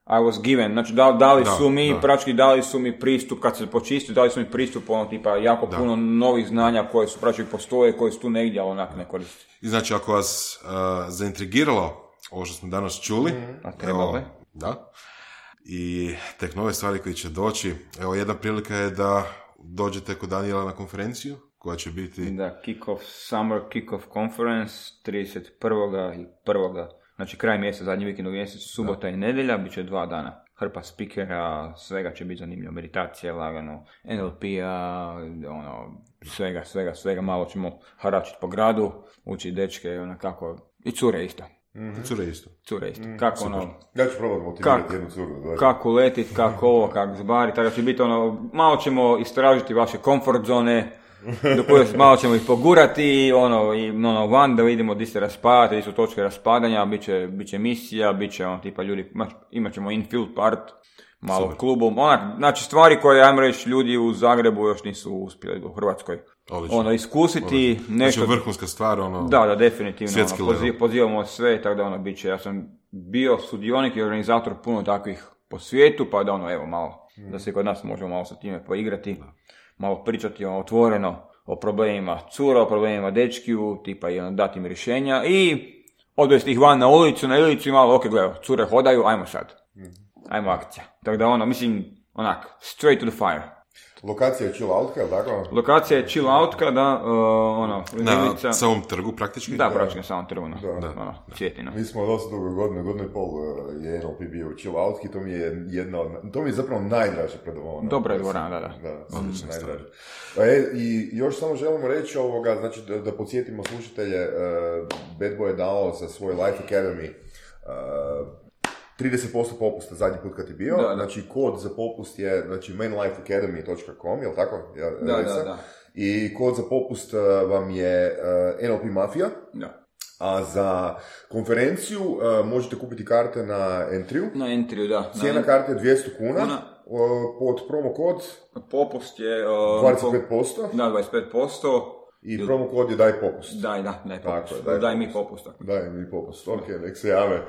I was given, znači da, dali da, su mi, da. praktički dali su mi pristup, kad se počistio, dali su mi pristup, ono, tipa, jako da. puno novih znanja koje su praktički postoje, koje su tu negdje, ali onak ne koriste. I znači, ako vas uh, zaintrigiralo ovo što smo danas čuli, a trebalo je. Da. I tek nove stvari koje će doći. Evo, jedna prilika je da dođete kod Daniela na konferenciju, koja će biti... Da, kick-off, summer kick-off conference, trideset prvog i prvog Znači, kraj mjeseca, zadnji vikend u mjesecu, subota da. i nedjelja, bit će dva dana. Hrpa spikera, svega će biti zanimljivo. Meditacija, lagano, en el pe-a, ono, svega, svega, svega. Malo ćemo haračiti po gradu, učiti dečke, ono kako... I cure isto. Mm-hmm. Cure isto. Cure isto. Mm, kako super. ono... Ja ću probati motivirati jednu curu. Znači. Kako letit, kako ovo, kako zbari, tako će biti ono... Malo ćemo istražiti vaše comfort zone, do koje malo ćemo ih pogurati, ono, i ono, van da vidimo di se raspadate, di su točke raspadanja, bit će, bit će misija, bit će ono, tipa ljudi, imat ćemo infield part, malo super. klubom, onak, znači stvari koje, ajmo reći, ljudi u Zagrebu još nisu uspjeli u Hrvatskoj. Odlično. Ono, iskusiti Odlično. nešto... Znači vrhunska stvar, ono... Da, da, definitivno, ono, poziv, pozivamo sve, tako da ono, bit će, ja sam bio sudionik i organizator puno takvih po svijetu, pa da ono, evo, malo, hmm. da se kod nas možemo malo sa time poigrati, malo pričati ono, otvoreno o problemima cura, o problemima dečkiju, tipa i ono, dati im rješenja i odvesti ih van na ulicu, na ulicu i malo, ok, gledaj, cure hodaju, ajmo sad, ajmo akcija. Tako da ono, mislim, onak, straight to the fire. Lokacija je chill outka, ili tako? Lokacija je chill outka, da, uh, ono, na samom trgu praktički? Da, praktički na samom trgu, no. da. Da. Ono, Cvjetino. Mi smo dosta dugo godine, godinu i pol je en el pe bio chill outki, to mi je jedna od, to mi je zapravo najdraže predavanje. Dobra je dvorana, da, da. Da, mm, najdraže. E, i još samo želimo reći ovoga, znači da, da podsjetimo slušatelje, uh, Bad Boy je dao za svoj Life Academy uh, trideset posto popusta zadnji put kad je bio, da, da. Znači kod za popust je znači main life academy dot com, jel tako? Ja, da, da, da. I kod za popust uh, vam je uh, en el pe Mafija, da. A za konferenciju uh, možete kupiti karte na Entriju. Na Entriju, da. Cijena karte je dvjesto kuna, kuna. Uh, pod promo kod popust je uh, dvadeset pet posto. Da, dvadeset pet posto. I promo kod je daj popust. Daj, da, daj popust. Tako, daj, daj mi popust. Tako. Daj mi popust, ok, nek se jave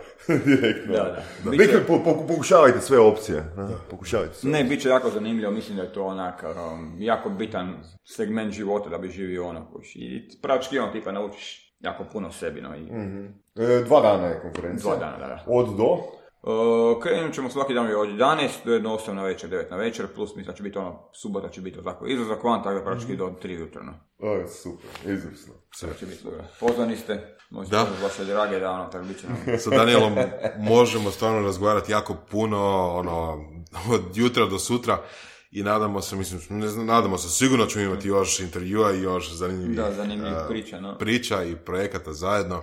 direktno. Da, da. da. Biće... Po, po, pokušavajte sve opcije. Da. Pokušavajte sve ne, opcije. bit će jako zanimljivo, mislim da je to onak um, jako bitan segment života da bi živio ono. I praktički ono tipa naučiš jako puno sebi. No, i... mm-hmm. e, dva dana je konferencija. Dva dana, da, da. Od do? Uh, krenut ćemo svaki dan od jedanaest do jedno osam na večer, devet na večer, plus mislim da će biti ono, subota će biti tako izlazak van, tako da praktički mm-hmm. do tri jutra. No. O, super, izvrsno. Sve će biti dobro. Pozvani ste, možete pozvati vaše drage da ono, tako bit će nam. Sa Danielom možemo stvarno razgovarati jako puno, ono, od jutra do sutra. I nadamo se, mislim, ne znam, nadamo se, sigurno ćemo imati još intervjua i još zanimljivih da, zanimljivih uh, priča, no. priča i projekata zajedno.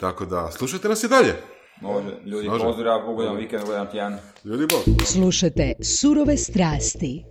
Tako da, slušajte nas i dalje. Može, ljudi, Može. pozdrav, ugodan vikend, ugodan tjedan. Ljudi, bok. Slušajte Surove strasti.